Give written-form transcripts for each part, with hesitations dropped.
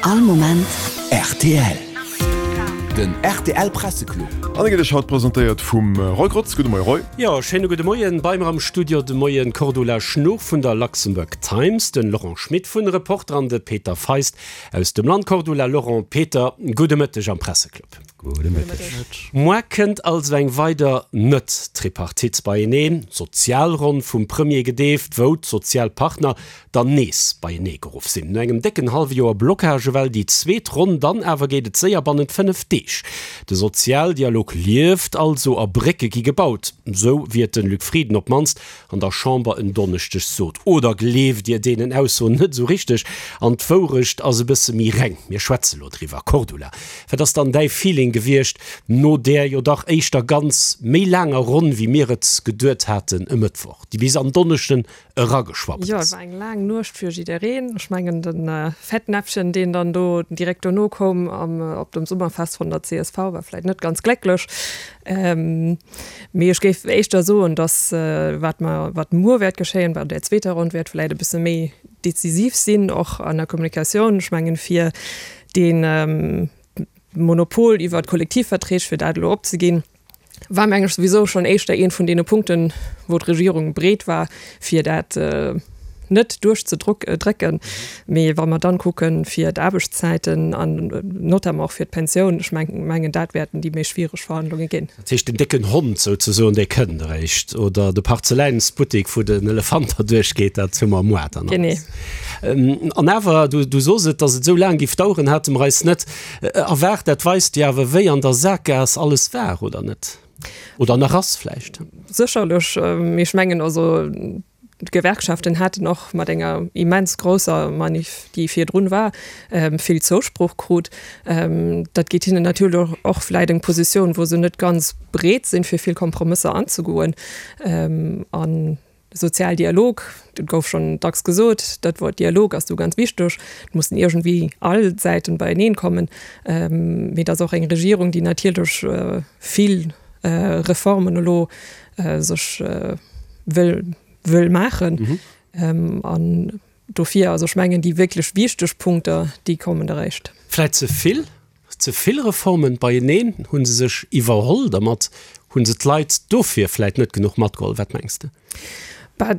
All Moment rtl. Den rtl Presseclub. An e gëtt Iech haut presentéiert vum Roy Grotz. Gudde Moie Roy. Jo, schéine gudde Moien. Bei mer am Studio de Moien d'Cordula Schnuch vun der Luxembourg Times, den Laurent Schmit vun Reporter an de Peter Feist aus dem Land. Cordula, Laurent, Peter, gudde Mëtteg am Presseclub. Gudde Mëtteg. Moar kënnt also eng weider Net-Tripartite beieneen, Sozialronn vum Premier gedeeft, wou d'Sozialpartner dann nees beienee geruff sinn. No engem décken hallwe Joer Blockage ewell déi zweet Ronn, dann awer geet et séier bannent 5 Deeg. De Sozialdialog lieft also a Brécke gi gebaut, sou wéi et de Luc Frieden op d'mannst an der Chamber en Donneschdeg sot. Oder gleeft Dir deenen Aussoen net esou richteg an d'Wourecht ass e bësse méi reng? Mir schwätze lo driwwer. Cordula, wat ass dann däi Feeling gewiescht no där jo dach éischter ganz méi laanger Ronn, wéi mir et geduet haten e Mëttwoch, déi bis an Donneschden erageschwappt ass? Jo, et war eng laang Nuecht fir jiddereen. Ech mengen, de Fettnäpfchen, deen dann do direkt dono koum op dem Summerfest vun der csv, war vläicht net ganz glécklech. Mee ech géif éischter soen, datt wat mer, wat muer wäert geschéien, bei där zweeter Ronn, wäert vläicht e bësse méi decisiv sinn, och an der Kommunikatioun. Ech mengen, fir dee Monopol iwwer d'Kollektivverträg, fir dat elo opzeginn, war meng ech souwisou schonn éischter ee vun deene Punkten, wou d'Regierung breet war, fir dat net duerchzedrécken. Mee wa mer dann kucken, fir d'Aarbechtszäiten an notamment och fir d'Pensioun, ech mengen, dat wäerten déi méi schwiereg Verhandlunge ginn. Dat heescht, den décken Hond souzesoen, dee kënnt eréischt, oder de Parzeläinsbuttek, wou den Elefant derduerch geet, dat hu mer moar dann alles. Genee. An awer, du sos et, datt et esou laang géif daueren, hate mer eis net erwaart. Dat weist jo awer, wéi an der Sakgaass alles war, oder net? Oder nach ass vläicht. Sécherlech. Mee ech mengen, also D'Gewerkschaften haten och mat enger immens grousser Manif, déi virdrun war, vill Zousproch krut. Dat geet hinnen natierlech och vläit eng Positioun, wou se net ganz breet sinn, fir vill Kompromësser anzegoen. An de Sozialdialog, dat gouf schonn dacks gesot, dat Wuert Dialog ass do ganz wichteg. Et mussen iergendwéi all Säiten beieneen kommen. Mee et ass och eng Regierung, déi natierlech vill Reformen elo sech wëll, wëll maachen. Mhm. An dofir, also ech mengen, déi wierklech wichteg Punkter, déi kommen eréischt. Vläit ze vill, ze vill Reformen beieneen? Hu se sech iwwerholl dermat? Hu se d'Leit dofir vläit net genuch matgeholl? Wat mengs de? Bah,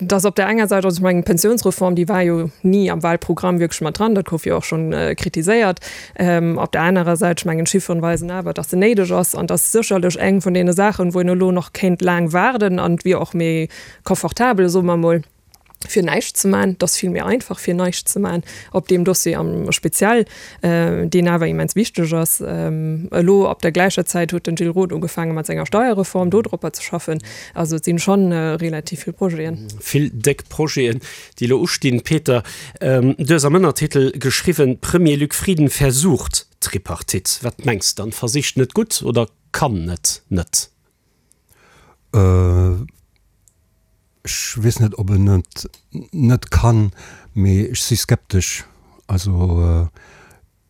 Dass op där enger Säit, also ech mengen d'Pensionsreform, déi war jo ni am Wahlprogramm wierklech mat dran, dat gouf jo och schonn kritiséiert. Op där anerer Säit, ech mengen d'Chifferen weisen awer, dass se néideg ass an dass sécherlech eng vun deene Saachen, wou een elo nach kéint laang waarden an et wier och méi confortabel, soe mer emol, fir näischt ze man. Et ass vill méi einfach fir näischt ze man op deem Dossier am speziell. deen awer immens wichteg ass. Elo op der gläicher Zäit huet den Gilles Roth ugefaange mat senger Steierreform, do dropper ze schaffen. Also et sinn schonn relativ vill Projeten. Vill déck Projeten, déi elo ustinn. Peter, du hues am Ënnertitel geschriwwen, Premier Luc Frieden versucht Tripartite. Wat mengs dann? Versicht net gutt oder kann net net? Ech weess net, ob en et net kann, mee ech si skeptesch. Also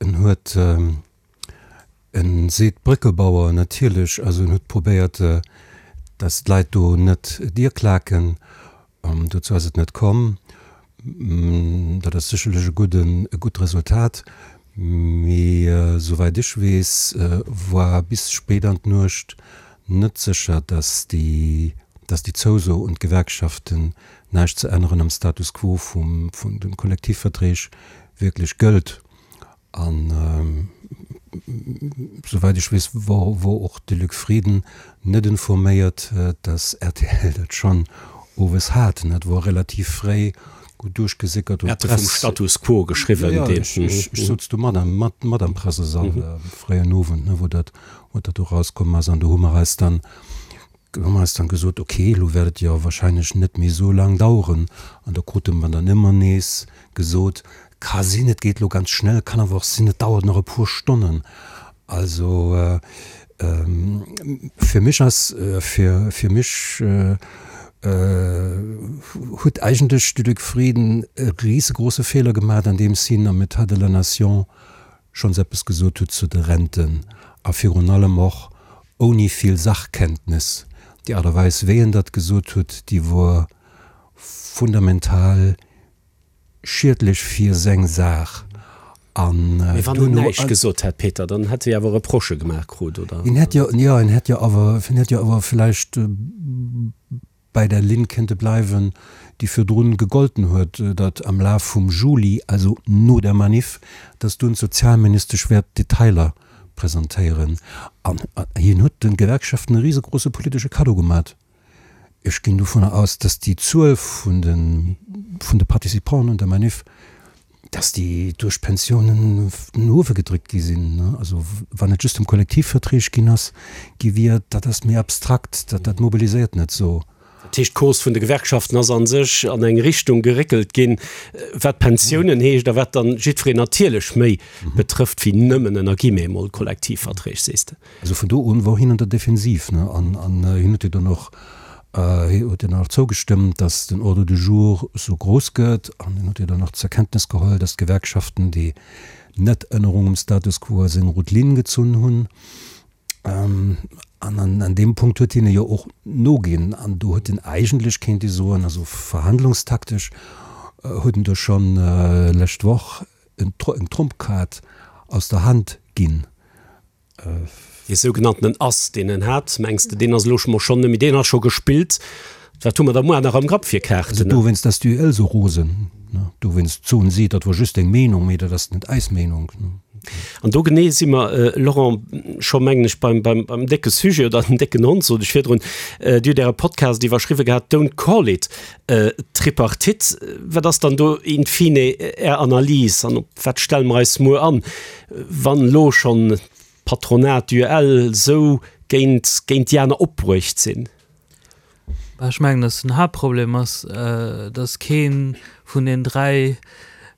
en huet, e seet Brückebauer natierlech, also en huet probéiert, datt d'Leit do net Dier klaken. Dozou ass et net komm. Dat ass sécherlech e gudden, e gutt Resultat. Mee souwäit ech weess, war bis spéit an d'Nuecht net sécher, datt déi, datt déi Zouso un d'Gewerkschaften, näischt ze änneren am Status quo vum, vun de Kollektivverträg wierklech gëllt. An souwäit ech weess, wor, wor och de Luc Frieden net informéiert, datt rtl dat schonn owes hat. Dat wor relativ fréi gutt duerchgesickert un d'Press. Vum Status quo geschriwwen. Jo, jo, ech, ech souz do mat am, mat, mat am Pressesall fréien Owend, ne, wou dat, wou dat do rauskomm ass. An do hu mer eis dann, hu mer eis dann gesot, okay, elo wäert et jo wahrscheinlech net méi esou laang daueren. An do krute mer dann ëmmer nees gesot, ka sinn, et geet elo ganz schnell, kann awer och sinn, et dauert nach e puer Stonnen. Also fir mech ass, fir, fir mech huet eigentlech de Luc Frieden e risegrouse Feeler gemaach, andeems hien am État de la Nation schonns eppes gesot huet zu de Renten a virun allem och ouni vill Sachkenntnis. Déi Aart a Weis, wéi en dat gesot huet, déi wor fundamental schiedlech fir seng Saach. An Mee wann en näischt gesot hätt, Peter, dann hätt e jo awer Reprochë gemaach krut, oder? En hätt jo, jo, en hätt jo awer, en hätt jo awer vläicht bäi der Linn kéinte bleiwen, déi virdrun gegolten huet, datt am Laf vum Juli, also no der Manif, datt dunn d'Sozialministesch wäert d'Detailer presentéieren. An hien huet de Gewerkschaften e risegrouse politesche Kaddo gemat. Ech ginn dovunner aus, dass déi Zuel vun de vun de Participanten un der Manif, dass déi duerch d'Pensiounen no uewe gedréckt gi sinn. Also wann et just ëm Kollektivverträg ginn ass, gi wier, dat ass méi abstrakt, dat dat mobiliséiert net esou. Dat heescht, d'Cause vun de Gewerkschaften ass a sech an eng Richtung geréckelt ginn, wat d'Pensiounen heescht a wat dann jiddwereen natierlech méi betrëfft wéi nëmmen, ënner Guillemets emol, Kollektivverträg, sees de? Also vun do un wor hien an der Defensiv, ne, an an hien huet jo dann och, hie huet jo dann och zougestëmmt, datt den Ordre du jour esou grouss gëtt, an hien huet jo dann och zur Kenntnis geholl, datt d'Gewerkschaften déi Net-Ännerung um Status quo als eng rout Linn gezunn hunn. An an an deem Punkt huet hien jo och noginn, an do huet en eigentlech, kéint ee soen, also verhandlungstaktesch huet en do schonn lescht Woch eng Trumpkaart aus der Hand ginn. Dee sougenanntenen Ass, deen en hat, mengs de, deen ass elo mol schonn net méi, deen ass scho gespillt? Wat hu mer da muer nach am Grapp fir Kaarten? Also dowéinst ass d'UEL esou rosen, ne? Dowéinst soen si, dat wor just eng Meenung, mee dat ass net eis Meenung. An do genee si mer, Laurent, scho mengen ech beim, beim, beim décke Sujet oder den décken Hond, sot ech virdrun. Dir hutt Äre Podcast iwwerschriwwe gehat, Don't call it Tripartite. Wat ass dann do in fine Är Analys an op wat stelle mer eis muer an, wann elo schonn d'Patronat, d'UEL esou géint, géint déi aner opbruecht sinn? Ech mengen, datt den Haaptproblem ass, datt kee vun den 3,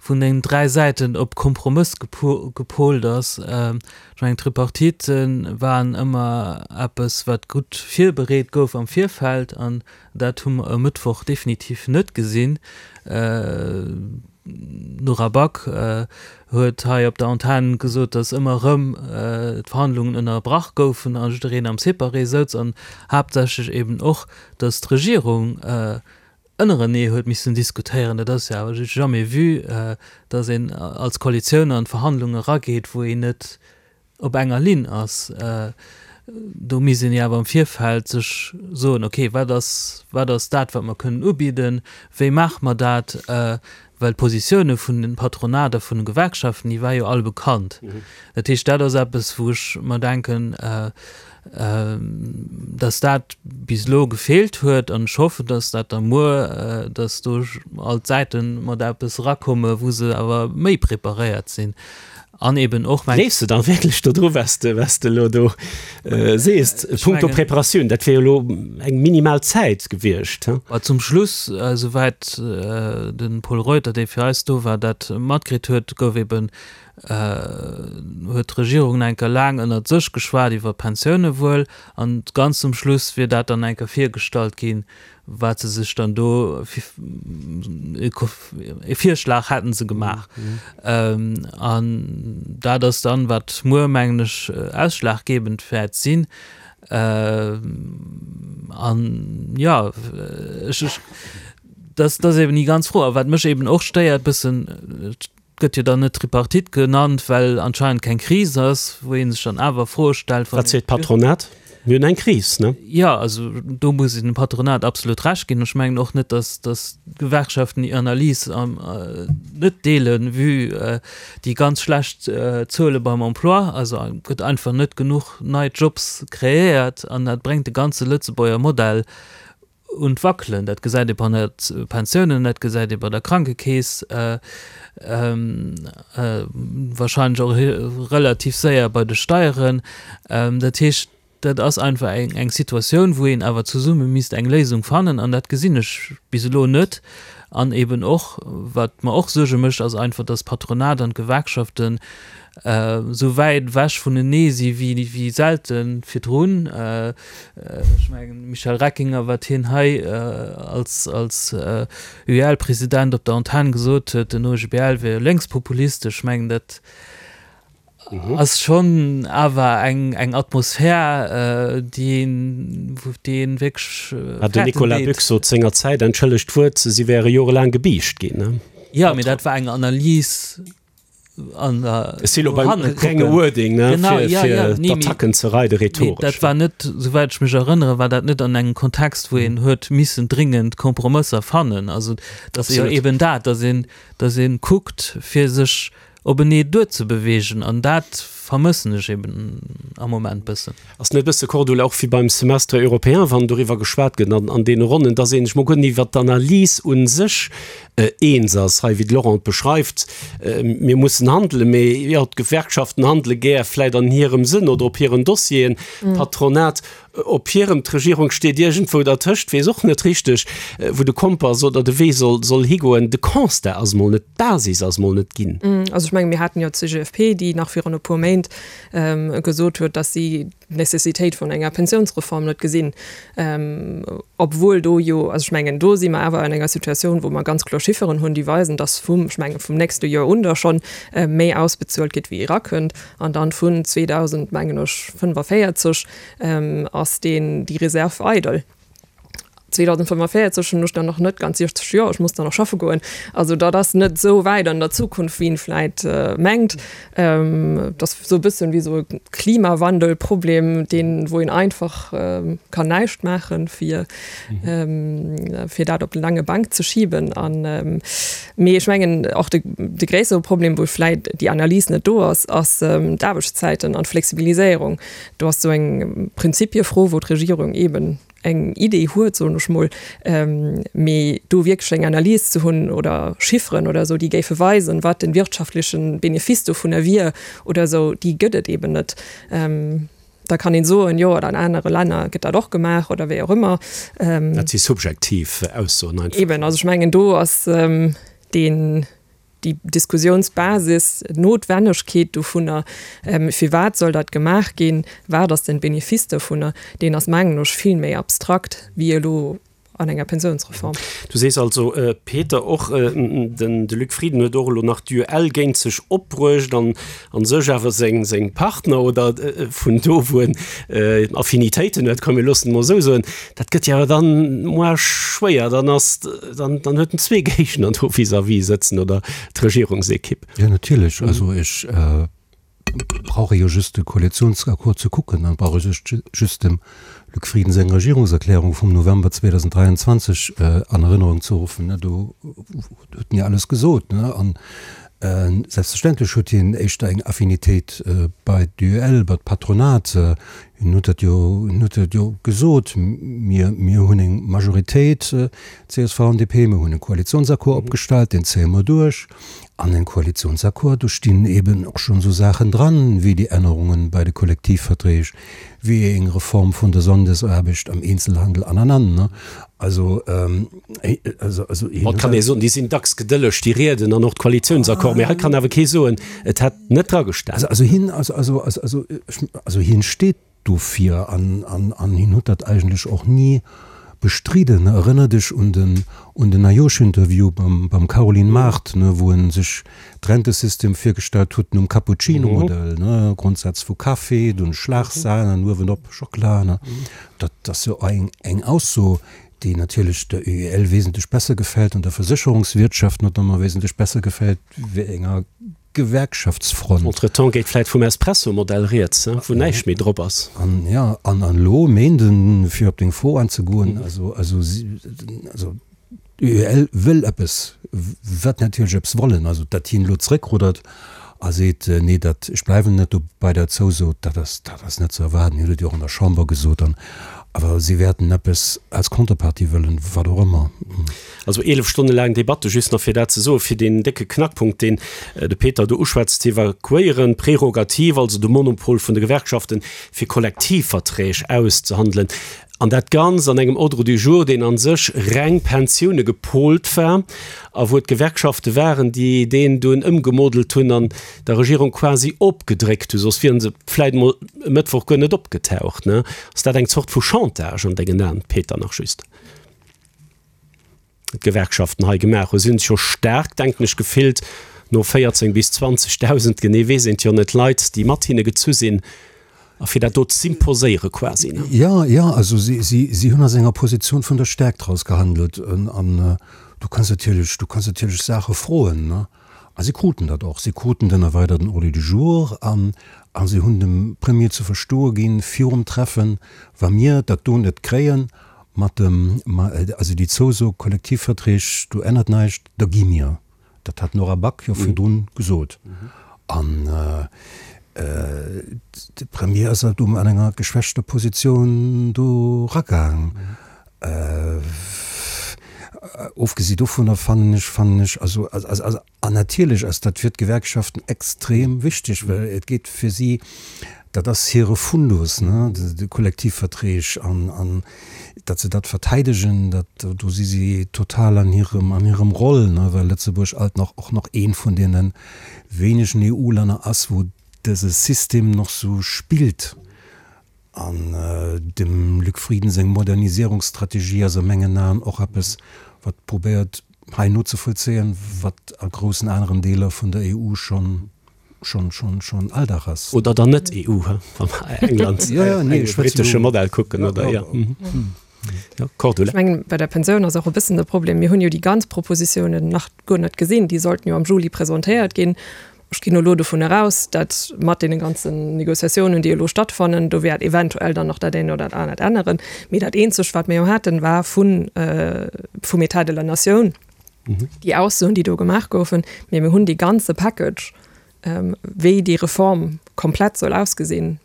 vun den 3 Säiten op Kompromëss gepolt ass. Ech mengen, d'Tripartite waren ëmmer eppes, wat gutt virbereet gouf am Virfeld an Dat hu mer e Mëttwoch definitiv net gesinn. D'Nora Back huet hei op der Antenn gesot, datt ëmmer erëm d'Verhandlungen ënnerbrach goufen a jiddereen am Separé souz an haaptsächlech eben och, datt d'Regierung ënnerenee huet missen diskutéieren. Dat ass jo awer du jamais vu, datt een als Koalitioun an d'Verhandlungen erageet, wou een net op enger Linn ass, do misst een jo awer am Virfeld sech soen, okay, wat ass, wat ass dat, wat mer kënnen ubidden, wéi maache mer dat, well d'Positioune vun de Patronat a vun de Gewerkschaften, déi war jo all bekannt. Dat heescht, dat ass eppes, wou ech mer denken, dass dat bis elo gefeelt huet an ech hoffen, dass dat da muer, dass do all d'Säite mat eppes erakomme wou se awer méi preparéiert sinn. An eben och meng. Gleefs de dann wierklech dodru, was de, was de elo do sees? Punkto Preparatioun, dat wier jo elo eng minimal Zäit gewiescht, he? Bah, zum Schluss, esouwäit de Pol Reuter, dee fir eis do war, dat matkritt huet, gouf eben, huet d'Regierung nach eng Kéier laang ënnert sech geschwat iwwer d'Pensioune wuel, an ganz zum Schluss wier dat dann eng Kéier virgestallt ginn, wat se sech dann do e Virschlag hätten se gemaach. An dat ass dann, wat muer, mengen ech, ausschlaggebend wäert sinn. An jo, ech, ech, dat ass eben déi ganz Fro. A wat mech eben och stéiert bëssen, Gëtt jo dann net Tripartite genannt, well anscheinend keng Kris ass, wou ee sech dann awer Froe stellt, wann. Wat seet d'Patronat? Mir hunn eng Kris, ne? Jo, also do muss een dem Patronat absolut Recht ginn. Ech mengen och net, datt datt d'Gewerkschaften déi Analys net deelen, vue déi ganz schlecht Zuele beim Emploi. Also et gëtt einfach net genuch nei Jobs kreéiert an dat bréngt de ganze Lëtzebuerger Modell un d'Wackelen. Dat gesäit ee bei de Pensiounen, dat gesäit ee bei der Krankekeess, wahrscheinlech och relativ séier bei de Steieren. Dat heescht, dat ass einfach eng Situatioun, wou een awer zesumme misst eng Léisung fannen an dat gesinn ech bis elo net. An eben och, wat mer och Suerge mécht, ass einfach, datt d'Patronat an d'Gewerkschaften esou wäit ewech vunenee si wéi selte virdrun. Ech mengen, Michel Reckinger, wat hien hei als als UEL-President op der Antenn gesot huet, den OGBL wier lénkspopulistesch, ech mengen, dat ass schonn awer eng eng Atmosphär, déi een, déi een wierklech fäerten deet. Den Nicolas Büchs sot sengerzäit, entschëllegt d'Wuert, si wäre jorelaang gebiischt ginn. Jo, mee dat war eng Analys. An der Ech si lo beim renge Wording, ne, genau, fir, ja, fir ja, nee, d'Attacken ze reide, rhetoresch. Dat war net, souwäit ech mech erënnere, war dat net an engem Kontext, wou een huet missen dringend Kompromësser fannen. Also dat ass jo eben dat, datt een, datt ee kuckt, fir sech openee duerzebewegen. An dat vermëssen ech eben am Moment bëssen. Ass net e bësse, Cordula, och wéi beim Semestre européen, wann doriwwer geschwat gëtt an an deene Ronnen, dass ee sech mol guer net iwwert d'Analys u sech eens ass, hei wéi de Laurent et beschreift, mir mussen handelen, mee jo, d'Gewerkschaften handele gär vläit an hirem Sënn oder op hiren Dossieren, d'Patronat op hirem, d'Regierung steet iergendwou dertëscht, weess och net richteg, wou de Kompass oder de Wee soll soll higoen. De Constat ass mol net, d'Basis ass mol net ginn. Also ech menge mir haten jo d'CGFP, déi nach virun e puer Méint gesot huet, datt si d'Nécessitéit vun enger Pensiounsreform net gesinn, obwuel do jo, also ech mengen, do si mer awer an enger Situatioun, wou mer ganz kloer Chifferen hunn, déi weisen, datt vum, ech mengen, vum nächste Joer un da schonn méi ausbezuelt gëtt wéi erakënnt an dann vun 2000, mengen ech, 45 ass deen, déi Reserv eidel. 2045 hunn ech dann nach net ganz 60 Joer, ech muss dann nach schaffe goen. Also dat ass net esou wäit an der Zukunft, wéi een vläit mengt. Dat ass esou e bëssen wéi esou e Klimawandelproblem, deen, wou een einfach kann näischt maachen, fir, fir dat op d'laange Bank ze schiben. An, mee ech mengen och de, de gréissere Problem, wou vläit déi Analys net do ass, ass d'Aarbechtszäiten an d'Flexibiliséierung. Do ass esou eng Prinzipiefro, wou d'Regierung eeben eng Idee huet, soen ech mol, mee do wierklech eng Analys ze hunn oder Chifferen oder esou, déi géife weisen, wat de wirtschaftleche Benefice dovunner wier oder esou, déi gëtt et eeben net. Da kann een soen, jo, an anere Länner gëtt dat och gemaach oder wéi och ëmmer. Dat si subjektiv Aussoen einfach. Eeben, also ech mengen, do ass deen. déi Diskussionsbasis, d'Notwennegkeet dovunner, firwat soll dat gemaach ginn, wat ass den Benefice dovunner, deen ass, mengen ech, vill méi abstrakt wéi elo an enger Pensionsreform. Du sees also, Peter, och den de Luc Frieden huet och elo nach d'UEL géint sech opbruecht an a sech awer seng Partner oder vun do wou en Affinitéiten huet, komm mir loossen et mol esou soen, dat gëtt jo awer dann moar schwéier, dann ass, dann huet en zwee Géigner do vis-à-vis sëtzen oder d'Regierungsekipp. Jo natierlech, also ech brauch ee jo just de Koalitionsaccord ze kucken, dann brauch ee sech just dem Luc Frieden seng Regierungserklärung vum November 2023 an Erënnerung ze ruffen, do huet en jo alles gesot. An Selbstverständlech huet hien éischter eng Affinitéit bei d'UEL, bei d'Patronat. Hien huet dat jo, hien huet dat jo gesot, Mir, mir hunn eng Majoritéit, csv an DP, mir hunn e Koalitionsaccord opgestallt, deen zéie mer duerch. An engem Koalitionsaccord, do stinn eeben och schonn esou Saachen dran, wéi déi Ännerungen bei de Kollektivverträg, wéi eng Reform vun der Sonndesaarbecht am Eenzelhandel an, an, an. Also, also, also hien huet. Et kann ee soen, déi sinn dacks gedëlleg, déi Rieden an och d'Koalitiounsaccord, mee hei kann awer kee soen, et hätt net dra gestan. Also, also hien, also, also, also, also, also hien steet dofir an, an, an hien huet dat eigentlech och ni bestriden. Erënner dech un den, un den Ajosch-Interview beim, beim Caroline Mart, ne, wou en sech d'Rentesystem virgestallt huet nom Cappuccino-Modell, ne, Grondsaz vu Café, dunn Schlagsahn an uewenop Schockela, ne. Dat ass jo eng, eng Ausso, déi natierlech der UEL wesentlech besser gefält an der Versécherungswirtschaft notamment wesentlech besser gefält wéi enger Gewerkschaftsfront. Entretemps geet vläit vum Espresso-Modell rieds, wou näischt méi drop ass. An, jo, an elo Méinden, fir op deng Fro anzegoen, also, also, also D'UEL wëll eppes, wat natierlech eppes wollen. Also datt hien elo zeréckruddert a seet, nee dat, ech bleiwen net dobei der Zouso, dat ass, dat ass net ze erwaarden. Hien huet et jo och an der Chamber gesot. An awer si wäerten eppes als Contrepartie wëllen, wat och ëmmer. Also 11 Stonne laang Debatte, just nach fir dat ze soen, fir deen décke Knackpunkt, deen de Peter do uschwätzt, ze evakuéieren, d'Prerogativ, also de Monopol vun de Gewerkschaften, fir Kollektivverträg auszehandelen. An dat Ganzt an engem Ordre du jour, deen a sech reng Pensioune gepolt war a wou et d'Gewerkschafte waren, déi deen dunn ëmgemodelt hunn an der Regierung quasi opgedréckt hunn, soss wiere se vläit emol e Mëttwoch guer net opgetaucht. Ass dat eng Zort vu Chantage an dengen Aen, Peter, nach just? d'Gewerkschaften hei gemaach hunn. Si hunn sech jo staark, denken ech, gefillt no 14 bis 20.000, genee weess een et jo net, Leit, déi mat hinne gezu sinn, a fir dat do z'imposéiere quasi, ne? Jo, jo, also si, si, si hunn aus enger Positioun vun der Stärkt raus gehandelt. An du kanns natierlech, du kanns natierlech Saache froen, ne? A si kruten dat och. Si kruten den erweiderten Ordre du jour an a si hunn dem Premier ze verstoe ginn, virum Treffen, Wa mir dat do net kréien, mat dem, also déi Zouso, Kollektivverträg, do ännert näischt, da gi mir. Dat hat d'Nora Back jo virdrun gesot. An de Premier ass halt do an enger geschwächter Positioun do eragaang. Ofgesi dovunner fannen ech, fannen ech, also, an natierlech ass dat fir d'Gewerkschaften extrem wichteg, well et geet fir si, dat ass hire Fundus, ne, de Kollektivverträg, an, an datt se dat verteidegen, dat, do si si total an hirem, an hirem Roll, ne, well Lëtzebuerg alt nach, och nach eent vun deene wéinegen EU-Länner ass, wou dëse System nach sou spillt. An dem Luc Frieden seng Modernisierungsstrategie ass a mengen Aen och eppes, wat probéiert hei nozevollzéien, wat a groussen aneren Deeler vun der EU schonn, schonn, schonn, schonn Alldag ass. Oder der Net-EU, wa mer England, de britesche Modell kucken, oder? Jo. Jo, Cordula. Ech mengen, bei der Pensioun ass och e bëssen de Problem, mir hunn jo déi ganz Propositiounen nach guer net gesinn. Déi sollten jo am Juli presentéiert ginn. Ech ginn elo dovun eraus, datt mat deene ganzen Négociatiounen, déi elo stattfannen, do wäert eventuell dann nach dat eent oder dat anert änneren. Mee dat eenzegt, wat mir jo haten, war vun, vum État de la Nation déi Aussoen, déi do gemaach goufen. Mee mir hunn dee ganze Package, wéi déi Reform komplett soll ausgesinn,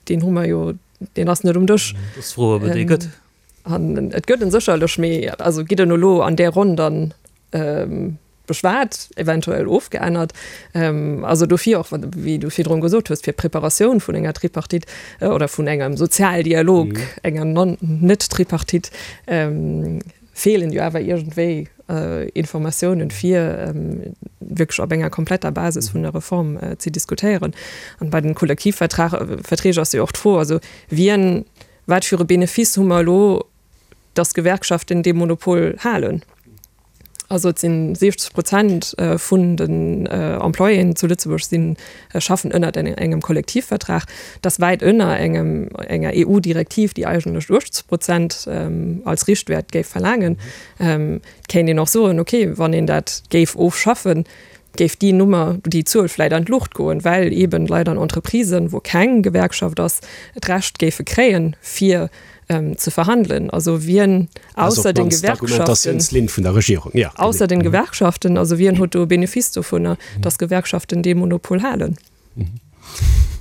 deen hu mer jo, deen ass net um Dësch. Et ass d'Fro, ob et ee gëtt. An et gëtt en sécherlech, mee also gitt en elo an där Ronn dann beschwat, eventuell ofgeännert. Also dofir och, wéi du virdrun gesot hues, fir d'Preparatioun vun enger Tripartite oder vun engem Sozialdialog, enger Non-net-Tripartite, feelen jo awer iergendwéi Informatiounen, fir wierklech op enger kompletter Basis vun der Reform ze diskutéieren. An bei den Kollektivverträg ass jo och d'Fro, also wien, wat fir e Benefice hu mer elo, dass d'Gewerkschaften dee Monopol halen? Also et si 60 Prozent vun den Employéen zu Lëtzebuerg si schaffen ënnert engem Kollektivvertrag. Dat ass wäit ënner engem enger EU-Direktiv, déi eigentlech 80 Prozent als Richtwäert géif verlaangen. Et kéint een och soen, okay, wann een dat géif ofschaffen, géif déi Nummer, déi Zuel vläit an d'Luucht goen, well eeben Leit an Entreprisen, wou keng Gewerkschaft ass, d'Recht géife kréien, fir ze verhandelen. Also wien ausser den Gewerkschaften, vun der Regierung, ja, ausser den Gewerkschaften, also wien huet do e Benefice dovunner, datt Gewerkschaften dee Monopol halen?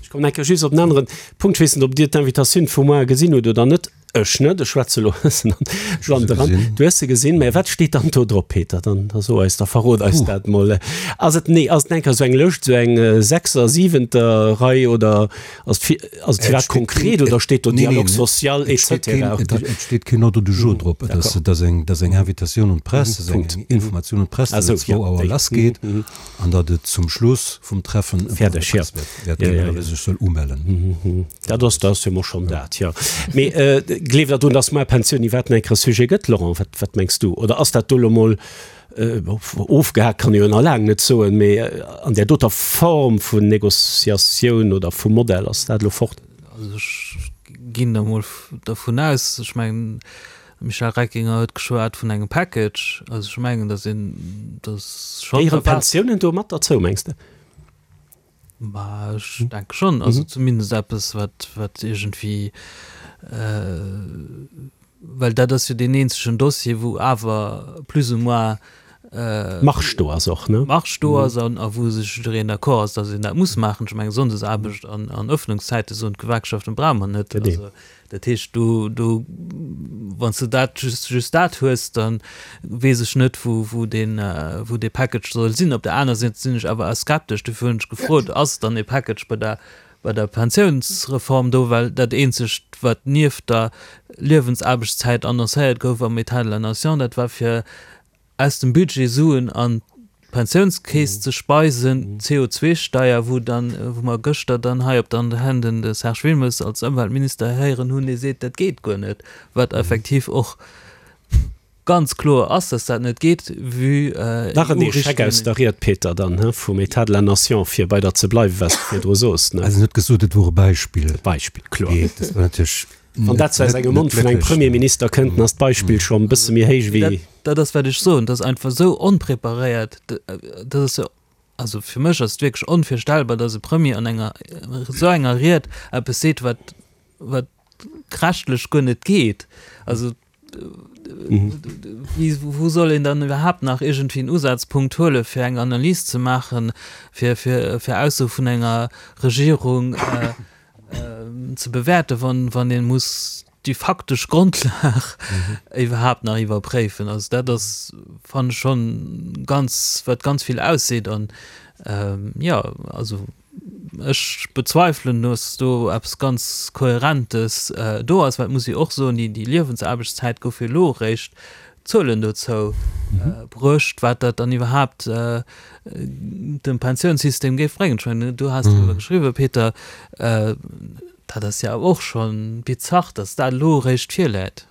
Ech kommen eng Kéier just op en aneren Punkt. Ech weess net, ob Dir d'Invitatioun vu moar gesinn hutt oder net. Ech net. Ech schwätze elo e bëssen an d'Land eran. Du hues se gesinn. Mä wat steet dann do drop, Peter? Dann da so eis, da verrot eis dat mol. Ass et, nee, ass et eng Kéier esou eng Lëscht, esou eng sechser-, siwenter Rei oder Ass et ass et firwat konkret oder steet do Dialogue social et cetera? Et steet keen Ordre du jour drop. Et ass et ass eng et ass eng Invitatioun un d'Press, et ass eng Informatioun un d'Press, datt et zwou Auer lassgeet an datt et zum Schluss vum Treffen e Point de presse wäert ginn oder wie sech soll umellen. Dat ass dat ass jo mol schonn dat, jo. Mee gleeft Der drun, datt mar Pensioun iwwerhaapt nach eng Kéier e Sujet gëtt, Laurent? Wat wat mengs du? Oder ass dat do elo mol Ofgehaakt kann ee jo nach laang net soen, mee an där doter Form vun Négociatioun oder vum Modell ass dat elo fort. Also ech ginn da mol dervun aus, ech mengen, de Michel Reckinger huet geschwat vun engem Package, also ech mengen, datt een, datt schonn. Gehéieren d'Pensiounen do mat derzou, mengs de? Bah, ech denke schonn. Also zumindest eppes, wat, wat iergendwéi, well dat ass jo deen eenzegen Dossier, wou awer plus ou moins Marge do ass och, ne? Marge do ass an a wou sech jiddereen d'accord ass, datt een dat muss maachen. Ech mengen, Sonndesaarbecht an, an Öffnungszäite soen d'Gewerkschaften, brauche mer net. Also Dat heescht, do, do, wann s de dat just, just dat hues, da weess ech net, wou, wou deen, wou dee Package soll sinn. Op der aner Säit sinn ech awer skeptesch, dofir hunn ech gefrot, ass dann ee Package bei der, bei der Pensiounsreform do? Well dat eenzegt, wat nieft der Liewensaarbechtszäit annoncéiert gouf am État de la Nation, dat war fir aus dem Budget Suen an d'Pensiounskeess ze speisen, d'CO2-Steier, wou dann, wou mer gëschter dann hei op der Antenn den de Serge Wilmes als Ëmweltminister héieren hunn, dee seet, dat geet guer net, wat effektiv och ganz kloer ass, dass dat net geet, vue Nach en Échec aus der Ried, Peter, dann, he, vum État de la Nation, fir bei der ze bleiwen, wat s de virdru soos, ne? Also en huet gesot, et wor e Beispill. E Beispill, kloer. Dat war natierlech Wann dat aus engem Mond vun engem Premierminister kënnt, dann ass d'Beispill schonn e bësse méi héich wéi. Dat ass, wat ech soen, dat ass einfach esou onpreparéiert, dat ass jo. Also fir mech ass et wierklech onvirstellbar, datt e Premier an enger esou enger Ried eppes seet, wat, wat rechtlech guer net geet. Also wéi, wou soll een dann iwwerhaapt nach iergendwéi en Usazpunkt huele fir eng Analys ze maachen, fir, fir, fir Aussoe vun enger Regierung ze bewäerten, wann, wann ee muss déi faktesch Grondlag iwwerhaapt nach iwwerpréifen. Also dat ass, fannen ech, schonn ganz, wat ganz vill ausseet. An jo, also ech bezweifelen, dass do eppes ganz Kohärentes do ass. Well et muss ee och soen, déi Liewensaarbechtszäit gouf jo elo eréischt Zuelen dozou bruecht, wat dat dann iwwerhaapt dem Pensiounssystem géif bréngen. Ech mengen, du has driwwer geschriwwen, Peter. Dat ass jo awer och scho bizarr, datt dat elo eréischt virläit.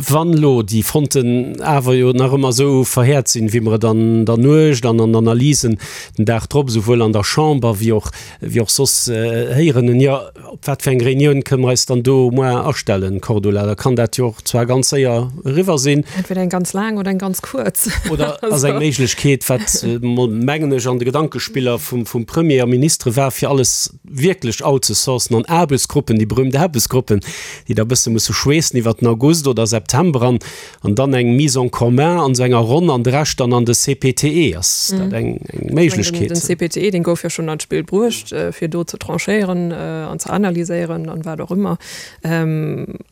Wann elo déi Fronten awer jo nach ëmmer esou verhäert sinn, wéi mer et an der Nuecht an an Analysen den Dag drop, esouwuel an der Chamber wéi och, wéi och soss héieren hunn, jo, op wat fir eng Reunioun kënne mer eis dann do au moins astellen, Cordula? Da kann dat jo och zwar ganz séier eriwwer sinn. Entweder eng ganz laang oder eng ganz kuerz. Oder ass eng Méiglechkeet, wat, mengen ech, an de Gedankespiller vum Premier a Ministere war, fir alles wierklech outzesourcen an Aarbechtsgruppen, déi berühmt Aarbechtsgruppen, déi da e bësse musse schweessen iwwert den August oder September an an dann eng Mise en commun an esou enger Ronn an de Rescht dann an de CPTE. Ass dat eng eng Méiglechkeet? Den CPTE, deen gouf jo schonn an d'Spill bruecht, fir do ze tranchéieren an ze analyséieren an wat och ëmmer.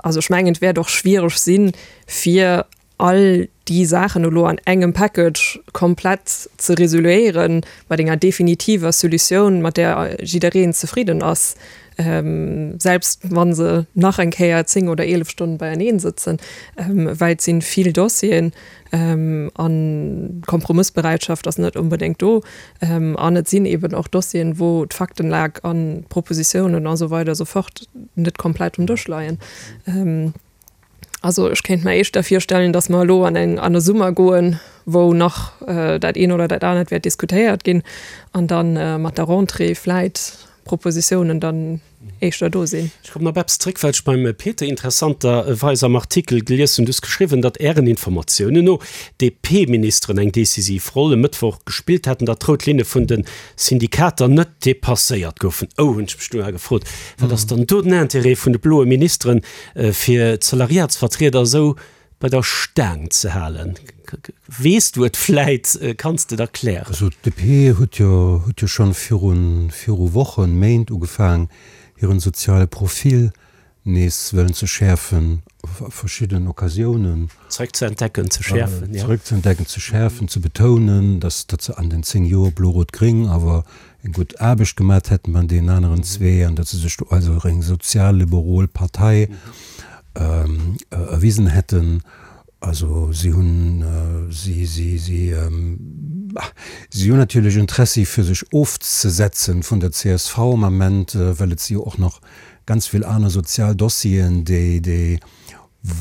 Also ech mengen, et wäert och schwiereg sinn, fir all déi Saachen elo an engem Package komplett ze resoluéieren, mat enger definitiver Solutioun, mat där jiddereen zefridden ass, selbst wa se nach eng Kéier 10 oder 11 Stonnen beieneen sëtzen, well et si vill Dossieren an d'Kompromëssbereitschaft ass net onbedéngt do. An et sinn eben och Dossieren, wou d'Faktenlag an d'Propositiounen a sou weider a sou fort net komplett um Dësch leien. Also ech kéint mer éischter virstellen, datt mer elo an eng an e Summer goen, wou nach dat een oder dat anert wäert diskutéiert ginn an da mat der Rentrée vläit Propositiounen dann éischter do sinn. Ech kommen op eppes zréck, wat ech beim Peter interessanterweis am Artikel gelies hunn. Du hues geschriwwen, datt Ären Informatiounen no d'DP-Ministeren eng decisiv Roll e Mëttwoch gespillt hätten, datt d'rout Linne vun de Syndikater net depasséiert goufen. Oh, hunn ech mech du gefrot, wat ass dann do den Interêt vun de bloe Ministeren, fir d'Salariatsvertrieder esou bei der Staang ze halen? Weess du et vläit? Kanns de et erklären? Also d'DP huet jo huet jo schonn virun viru Wochen, Méint ugefaang hiren soziale Profil nees wëllen ze schäerfen a verschiddenen Occasiounen. Zeréck ze entdecken, ze schäerfen, jo. Zeréck ze entdecken, ze schäerfen, ze betounen, datt datt se an den 10 Joer Blo-Rot-Gréng awer eng gutt Aarbecht gemat hätten bei deenen aneren zwee an datt se sech do als eng sozialliberol Partei erwisen hätten. Also si hunn, si, si, si, si hunn natierlech Interessi fir sech ofzesetzen vun der csv am Ament, well et si jo och nach ganz vill aner sozial Dossieren, déi, déi,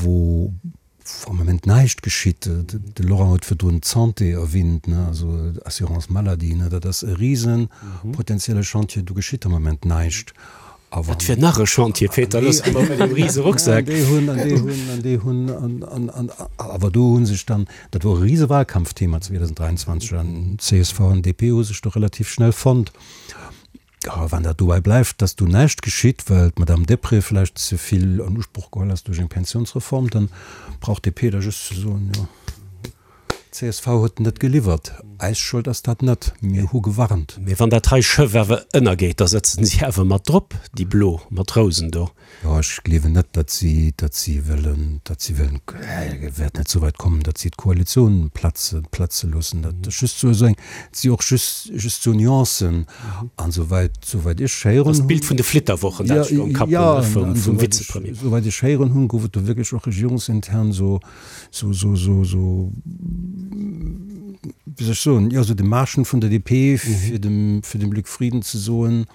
wou, Am Moment näischt geschitt. De Laurent huet virdrun d'Santé erwähnt, also Assurance maladie, dat ass e rise potenzielle Chantier, do geschitt am Moment näischt. Dat wier nach e Chantier, Peter, looss mer mat deem rise Rucksak. An déi hunn, an déi hunn, an déi hunn, an, an, awer do hu sech dann, dat wor e rise Wahlkampfthema 2023, an csv an DP hu sech do relativ schnell fonnt. A wann dat dobäi bleift, dass do näischt geschitt, well d'Madame Deprez vläicht ze vill an Usproch geholl ass duerch eng Pensionsreform, dann brauch d'DP da just ze soen, jo, csv huet net geliwwert, eis Schold ass dat net, mir hu gewarnt. Mee wann dat hei Schëff awer ënnergeet, da sëtzen si awer mat drop, déi blo Matrousen do. Jo, ech gleewen net, datt si, datt si wëllen, datt si wëllen, et wäert net esou wäit kommen, datt si d'Koalitioun platze, platze loossen. Dat ass just esou eng, et si och just, just esou Nuancen. An souwäit, souwäit ech héieren hunn. Dat ass d'Bild vun de Flitterwochen, dat ech do am Kapp hunn, ne, vum Vizepremier. Souwäit ech héieren hunn, gouf et do wierklech och regierungsintern esou, esou, esou, esou, esou, wéi soll ech soen, jo, esou Demarchen vun der DP, fir dem, fir dem Luc Frieden ze soen,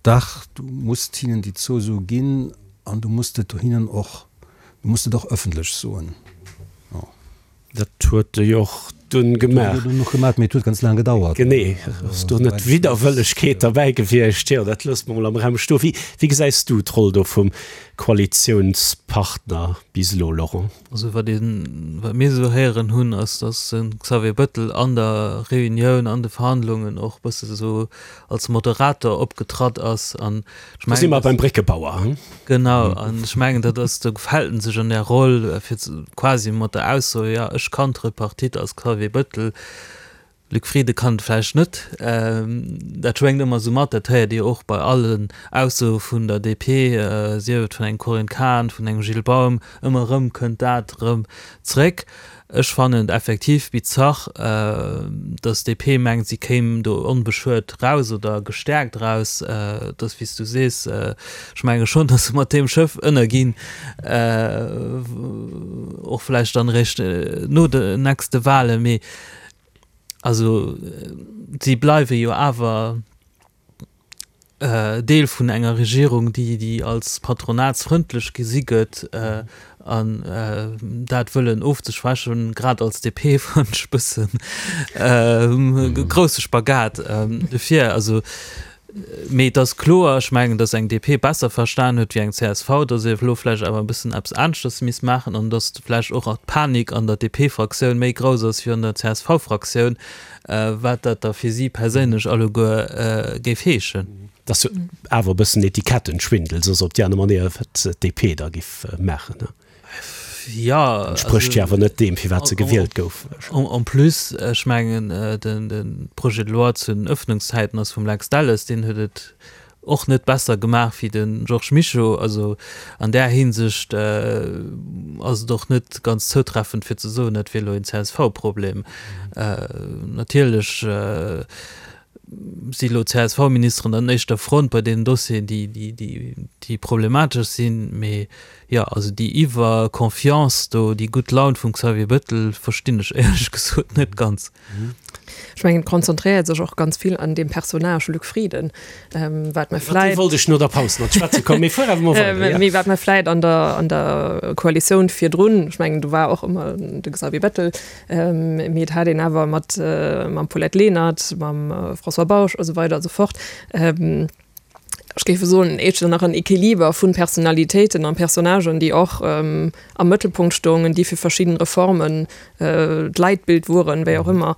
Dach, du muss hinnen déi Zouso ginn an du muss et hinnen och, du muss et och ëffentlech soen. Jo. Dat huet e jo och dunn gemaach. Dat huet en och gemaach, mee et huet ganz laang gedauert. Genee. Ass do net Widderwëllegkeet derbäi gewiescht? Jo, dat loosse mer mol am Raum stoen. Wéi, wéi gesäis du d'Roll do vum Koalitiounspartner? Partner bis elo, Laurent? Also wat een, wat mir esou héieren hunn, ass, datt de Xavier Bettel an der Reunioun, an de Verhandlungen och e bësse sou als Moderator opgetratt ass an ech mengen. Do si mer beim Bréckebauer, hein? Genau, an ech mengen, dat ass, do gefält en sech an där Roll, fir quasi mat der Ausso, jo, ech kann d'Tripartite als Xavier Bettel, Luc Frieden kann et vläicht net. Dat schwéngt ëmmer esou mat, dat héiert Dir och bei allen Aussoe vun der DP, sief et vun engem Corinne Cahen, vun engem Gilles Baum, ëmmer erëm kënnt dat erëm zréck. Ech fannen et effektiv bizarr, datt d'DP mengt, si kéim do onbeschuet raus oder gestäerkt raus. Et ass wéi s du sees, ech menge schonn, datt se mat deem Schëff ënnerginn, och vläicht dann eréischt no den nächste Wahlen, mee Also si bleiwe jo awer Deel vun enger Regierung, déi déi als patronatsfrëndlech gesi gëtt an dat wëllen ofzeschwächen, grad als DP fannen ech e bëssen e grousse Spagat. Dofir also Mee et ass kloer, ech mengen, datt eng DP besser verstan huet wéi eng csv, datt ee elo vläicht awer e bëssen eppes aneschters misst maachen an datt vläicht och d'Panik an der DP-Fraktioun méi grouss ass wéi an der CSV-Fraktioun, wat dat da fir si perséinlech alleguer géif heeschen. Et ass jo awer e bëssen Etikettenschwindel, soss op déi aner Manéier, wat d'DP da giff maachen. Ja, Entsprécht jo awer net deem, firwat se gewielt gouf. En plus, ech mengen, de Projet de loi zu den Öffnungszäiten ass vum Lex Delles, deen huet et och net besser gemaach wéi de Georges Mischo. Also an där Hinsicht ass et och net ganz zoutreffend fir ze soen, dat wier elo een CSV-Problem. Natierlech si elo d'CSV-Ministeren an éischter Front bei deenen Dossieren, déi problematesch sinn. Mee jo, also déi Iwwer-Confiance do, déi gutt Laun vum Xavier Bettel verstinn ech éierlech gesot net ganz. Ech mengen, et konzentréiert sech och ganz vill an deem Personnage Luc Frieden, wat mer vläit. Iwwer dee wollt ech no der Paus nach schwätze kommen, mee fuer awer mol weider, jo. Mee wat mer vläit an der, an der Koalitioun virdrun, ech mengen, do war och ëmmer de Xavier Bettel, Mee et hat een awer mat mam Paulette Lenert, mam François Bausch a sou weider a sou fort, ech géif soen, éischter nach en Equiliber vu Personalitéiten a Personnagen, déi och am Mëttelpunkt stoungen, déi fir verschidden Reformen d'Leitbild woren, wéi och ëmmer.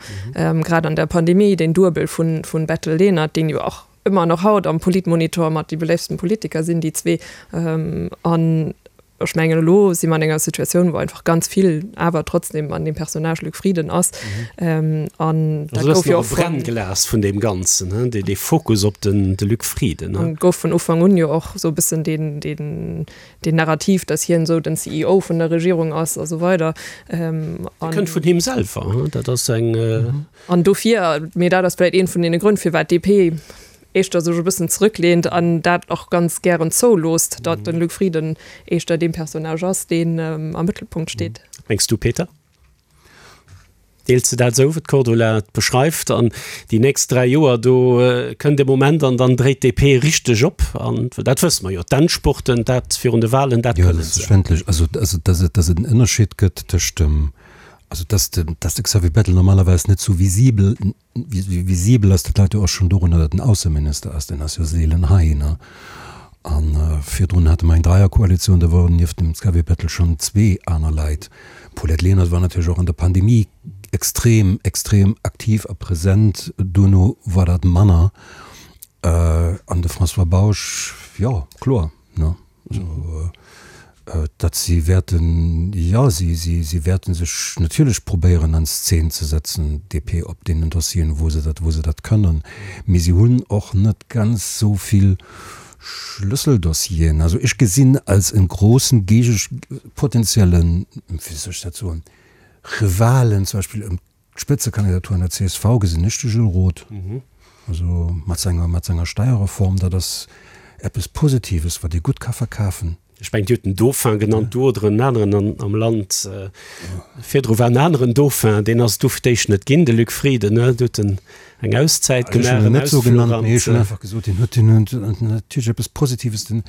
Grad an der Pandemie, deen Duebel vun Bettel-Lenert, deen jo och ëmmer nach haut am Politmonitor mat déi beléiftsten Politiker sinn, déi zwee. An ech mengen, elo si mer an enger Situatioun, wou einfach ganz vill awer trotzdem an deem Personnage Luc Frieden ass. An dat gouf jo och vun. Brennglas vun deem Ganzen, hein, dee Fokus op den de Luc Frieden, hein. An gouf vun Ufank un jo och esou e bëssen deen, deen, deen Narrativ, datt hien esou den CEO vun der Regierung ass a sou weider. Dat kënnt vun him selwer, hein, dat ass eng. An dofir, mee dat ass vläicht ee vun deene Grënn, firwat d'DP éischter sech e bëssen zrëckleent an dat och ganz gären zouloosst, datt de Luc Frieden éischter dee Personnage ass, deen am Mëttelpunkt steet. Wat mengs du, Peter? Deels de dat esou, wéi d'Cordula et beschreift? An déi nächst 3 Joer, do kënnt e Moment an dann dréit d'DP richteg op. An dat wësse mer jo, d'Endspurten, dat virun de Wahlen, dat kënnen se. Jo, selbstverständlech. Also, datt et en Ënnerscheed gëtt tëscht dem Also dass de, dass de Xavier Bettel normalerweis net sou visibel, visibel ass, dat läit jo och schonn dorunner, datt en Ausseminister ass, deen ass jo seelen hei, ne? A virdrun hate mer eng Dreierkoalitioun, do woren nieft dem Xavier Bettel schonn zwee aner Leit. D'Paulette Lenert war natierlech och an der Pandemie extrem, extrem aktiv a present, duerno war dat manner. An de François Bausch, jo, kloer, ne? Also, datt si wäerten, jo, si, si, si wäerte sech natierlech probéieren an Szen ze setzen, DP, op deenen Dossieren, wou se dat, wou se dat kënnen. Mee si hunn och net ganz esou vill Schlüsseldossieren. Also ech gesinn als e grossen Gege-, potenziellen, wéi soll ech dat soen, Rivalen zum Beispill ëm D'Spëtzekandidatur an der csv gesinn ech de Gilles Roth. Also mat senger, mat senger Steierreform, dat ass eppes Positives, wat ee gutt ka verkafen. Ech mengen, Dir hutt den Dauphin genannt, do oder en aneren an, am Land. Virdru war en aneren Dauphin, deen ass et du fir d'éischt net ginn, de Luc Frieden, ne? Do huet en eng Auszäit gemaach, en Ech hunn en net esou genannt, mee ech hunn einfach gesot, hien huet, hien huet natierlech eppes Positives, den,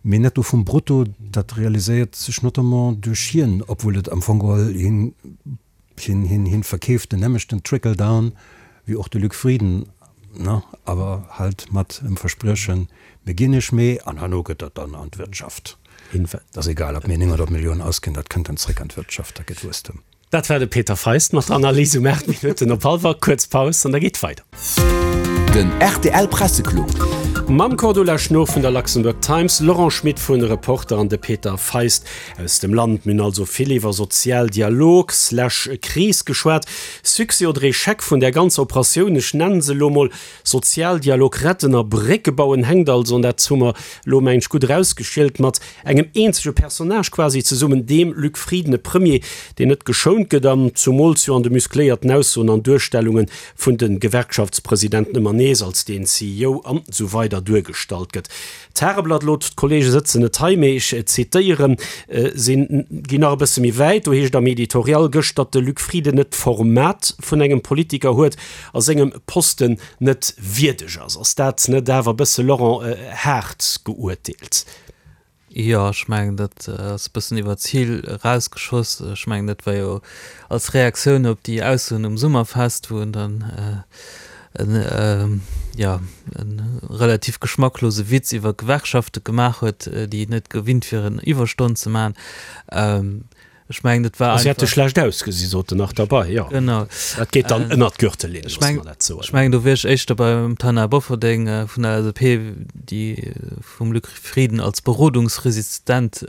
mee Netto vum Brutto, dat realiséiert sech notamment duerch hien, obwuel et am Fong geholl hien, Hien, hien, hien verkeeft den nämmechten Trickle Down wéi och de Luc Frieden, ne, awer halt mat em Verspriechen, mir ginn iech méi an herno gëtt dat dann an d'Wirtschaft. Et ass egal, ob mir 900 Milliounen ausginn, dat kënnt dann zréck an d'Wirtschaft, dat gëtt Wuesstem. Dat war de Peter Feist mat der Analys um 8 Minutten op hallwer. Kuerz Paus an da geet weider. Den rtl Presseclub. Mam Cordula Schnoor vun der Luxembourg Times, Laurent Schmit vun Reporter an de Peter Feist aus dem Land. Mir hunn also vill iwwer Sozialdialog slash Kris geschwat. Succès oder Echec vun där ganzer Operatioun, ech nennen se elo mol Sozialdialog retten a Brécke bauen, hänkt also, an dat hu mer elo mengen ech gutt erausgeschielt, mat engem eenzege Personnage quasi zesummen, deem Luc Frieden, e Premier, deen net geschount gëtt an zumools jo an de muscléierten Aussoen an Duerstellunge vun de Gewerkschaftspresidenten ëmmer nees als deen CEO an esou weider duergestallt gëtt. D'Tageblatt, elo d'Kollege sëtzen net hei, mee ech zitéieren si, ginn nach e bësse méi wäit, do heescht am Editorial gëscht, datt de Luc Frieden net d'Format vun engem Politiker huet a sengem Posten net wierdeg ass. Ass dat net awer e bësse, Laurent, haart geuerteelt? Jo, ech mengen, dat ass e bëssen iwwer d'Zil erausgeschoss. Ech mengen, dat war jo als Reaktioun op déi Aussoen um Summerfest, wou en dann en, jo, e relativ geschmacklose Witz iwwer Gewerkschafte gemaach huet, déi net gewinnt wieren, Iwwerstonnen ze maachen. Ech mengen, dat war einfach. Si hätte schlecht ausgesi, sot en nach derbei. Jo, genau. Dat geet dann ënnert d'Gürtellinn, loosse mer dat soen. Ech mengen, do wier ech éischter beim Taina Bofferding vun der LSAP, déi vum Luc Frieden als berodungsresistent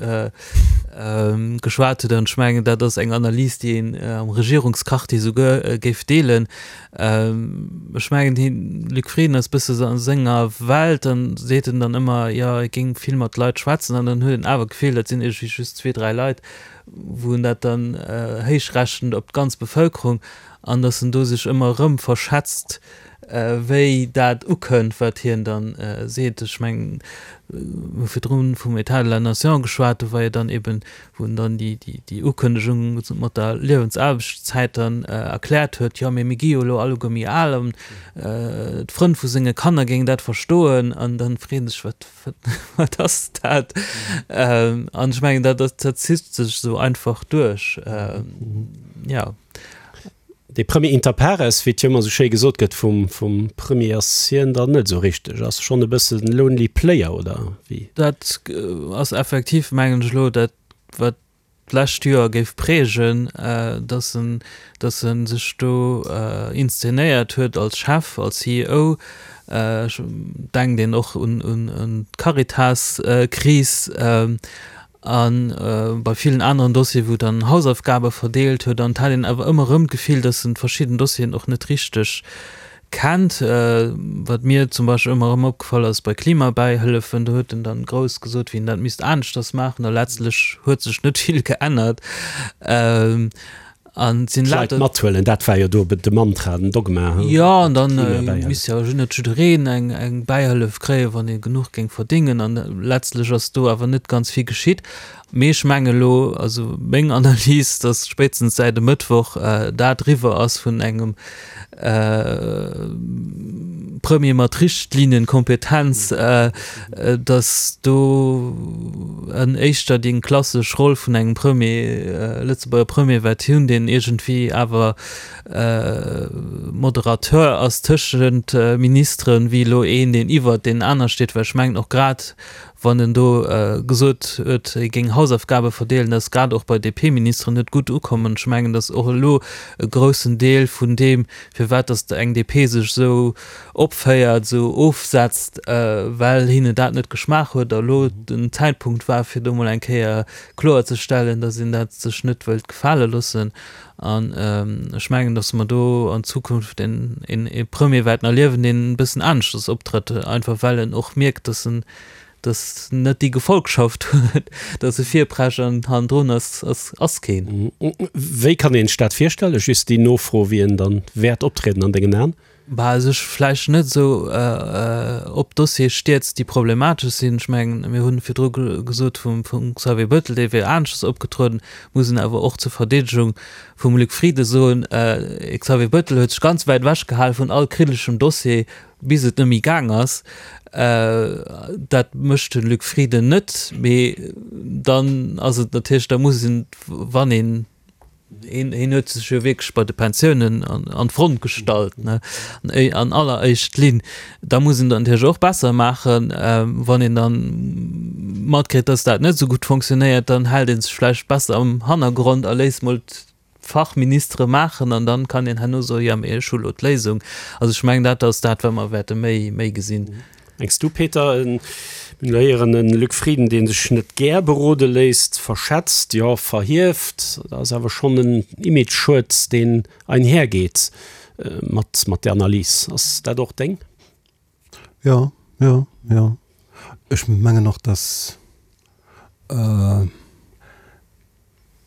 geschwat huet. An ech mengen, dat ass eng Analys, déi een am Regierungsquartier souguer géif deelen. Ech mengen, hien, Luc Frieden ass e bësse a senger Welt, dann seet en dann ëmmer, jo, e géing vill mat Leit schwätzen an dann huet een awer d'Gefill, dat sinn iergendwéi just zwee, dräi Leit, wou en dat dann héichrechent op d'ganz Bevëlkerung an datt en do sech ëmmer erëm verschätzt, wéi dat ukënnt, wat hien dann seet. Ech mengen, mir hu virdrun vum État de la nation geschwat, do war jo dann eben wou en dann déi Ukënnegung mat der Liewensaarbechtszäit dann erkläert huet, jo mee mir gi jo elo alleguer méi al an d'Frënn vu senge Kanner géingen dat verstoen an dann freet een sech, wat wat ass dat? An ech mengen dat dat zitt sech esou einfach duerch, jo. Dee Premier inter pares, wéi et jo ëmmer esou schéi gesot gëtt vum vum Premier, ass hien dann net esou richteg, ass schonn e bëssen lonely player, oder wéi? Dat ass effektiv, mengen ech elo, dat wat d'lescht Joer géif prägen, datt en datt e sech do inszenéiert huet als Chef, als CEO. Ech denkt een och un un d'Caritas-Kris. A bei villen aneren Dossieren, wou dann Hausaufgabe verdeelt huet, an et hat een awer ëmmer erëm d'Gefill, dass en verschidden Dossieren och net richteg kennt. Wat mir zum Beispill ëmmer erëm opgefall ass bei Klimabäihëllefen, do huet en dann grouss gesot, wéi en dat misst aneschters maachen, a letztlech huet sech net vill geännert. An sinn D'Leit lauter. Mathuelen, dat war jo do de Mantra, den Dogma. Jo, an dann misst jo net jiddereen eng eng Bäihëllef kréien, wann ee genuch géing verdéngen. An letztlech ass do awer net ganz vill geschitt. Mee ech menge elo, also meng Analys, datt spéitstens säit e Mëttwoch dat eriwwer ass vun engem Premier mat Richtlinenkompetenz, datt do en éischter déi klassesch Roll vun engem Premier, Lëtzebuerger Premier wäert hunn, deen iergendwéi awer Moderateur ass tëschent Ministeren, wéi elo een, deen iwwert deenen aner steet. Well ech mengen och grad wann en do gesot huet, hie géing Hausaufgabe verdeelen, dat ass grad och bei DP-Ministeren net gutt ukomm. An ech mengen, datt och elo e groussen Deel vun deem, firwat datt eng DP sech esou opféiert, esou ofsetzt, well hinne dat net geschmaach huet a elo den Zäitpunkt war, fir do mol eng Kéier kloerzestellen, datt een dat sech net wëllt gefale loossen. An ech mengen, datt mer do an Zukunft een ee Premier wäerten erliewen, deen e bëssen aneschters optrëtt, einfach well en och mierkt, datt en datt en net déi Gefolgschaft huet, datt e virprescht an hannendrun ass ass keen. Wéi kann een sech dat virstellen? Just déi Nofro, wéi en dann wäert optrieden an dengen Aen? Bah, sech vläicht net esou op Dossiere stierzt, déi problematesch sinn. Ech mengen, mir hunn virdru gesot vum Xavier Bettel, dee wier aneschters opgetrueden, muss een awer och zur Verdeedegung vum Luc Frieden soen, de Xavier Bettel huet sech ganz wäit ewech gehale vun all kriteschem Dossier, bis et net méi gaang ass. Dat mécht de Luc Frieden net, mee dann ass et natierlech, da muss een, wann een, Hien huet sech jo wierklech bei de Pensiounen an d'Front gestallt, ne, an alleréischt Linn. Da muss een dat natierlech och besser maachen, wann een dann. matkritt, dass dat net esou gutt fonctionnéiert, dann hält ee sech vläicht besser am Hannergrond a léisst mol d'Fachministere maachen an dann kann een herno soen, jo mee ech hu lo d'Léisung. Also ech mengen dat ass dat wat mer wäerte méi méi gesinn. Mengs du Peter, mir hunn elo héieren e Luc Frieden dee sech net gär berode léisst, verschätzt, jo verhieft, dat ass awer schonn en Imageschued deen einhergeet mat mat där Analys. Ass dat och deng? Jo, jo, jo. Ech mengen och, datt,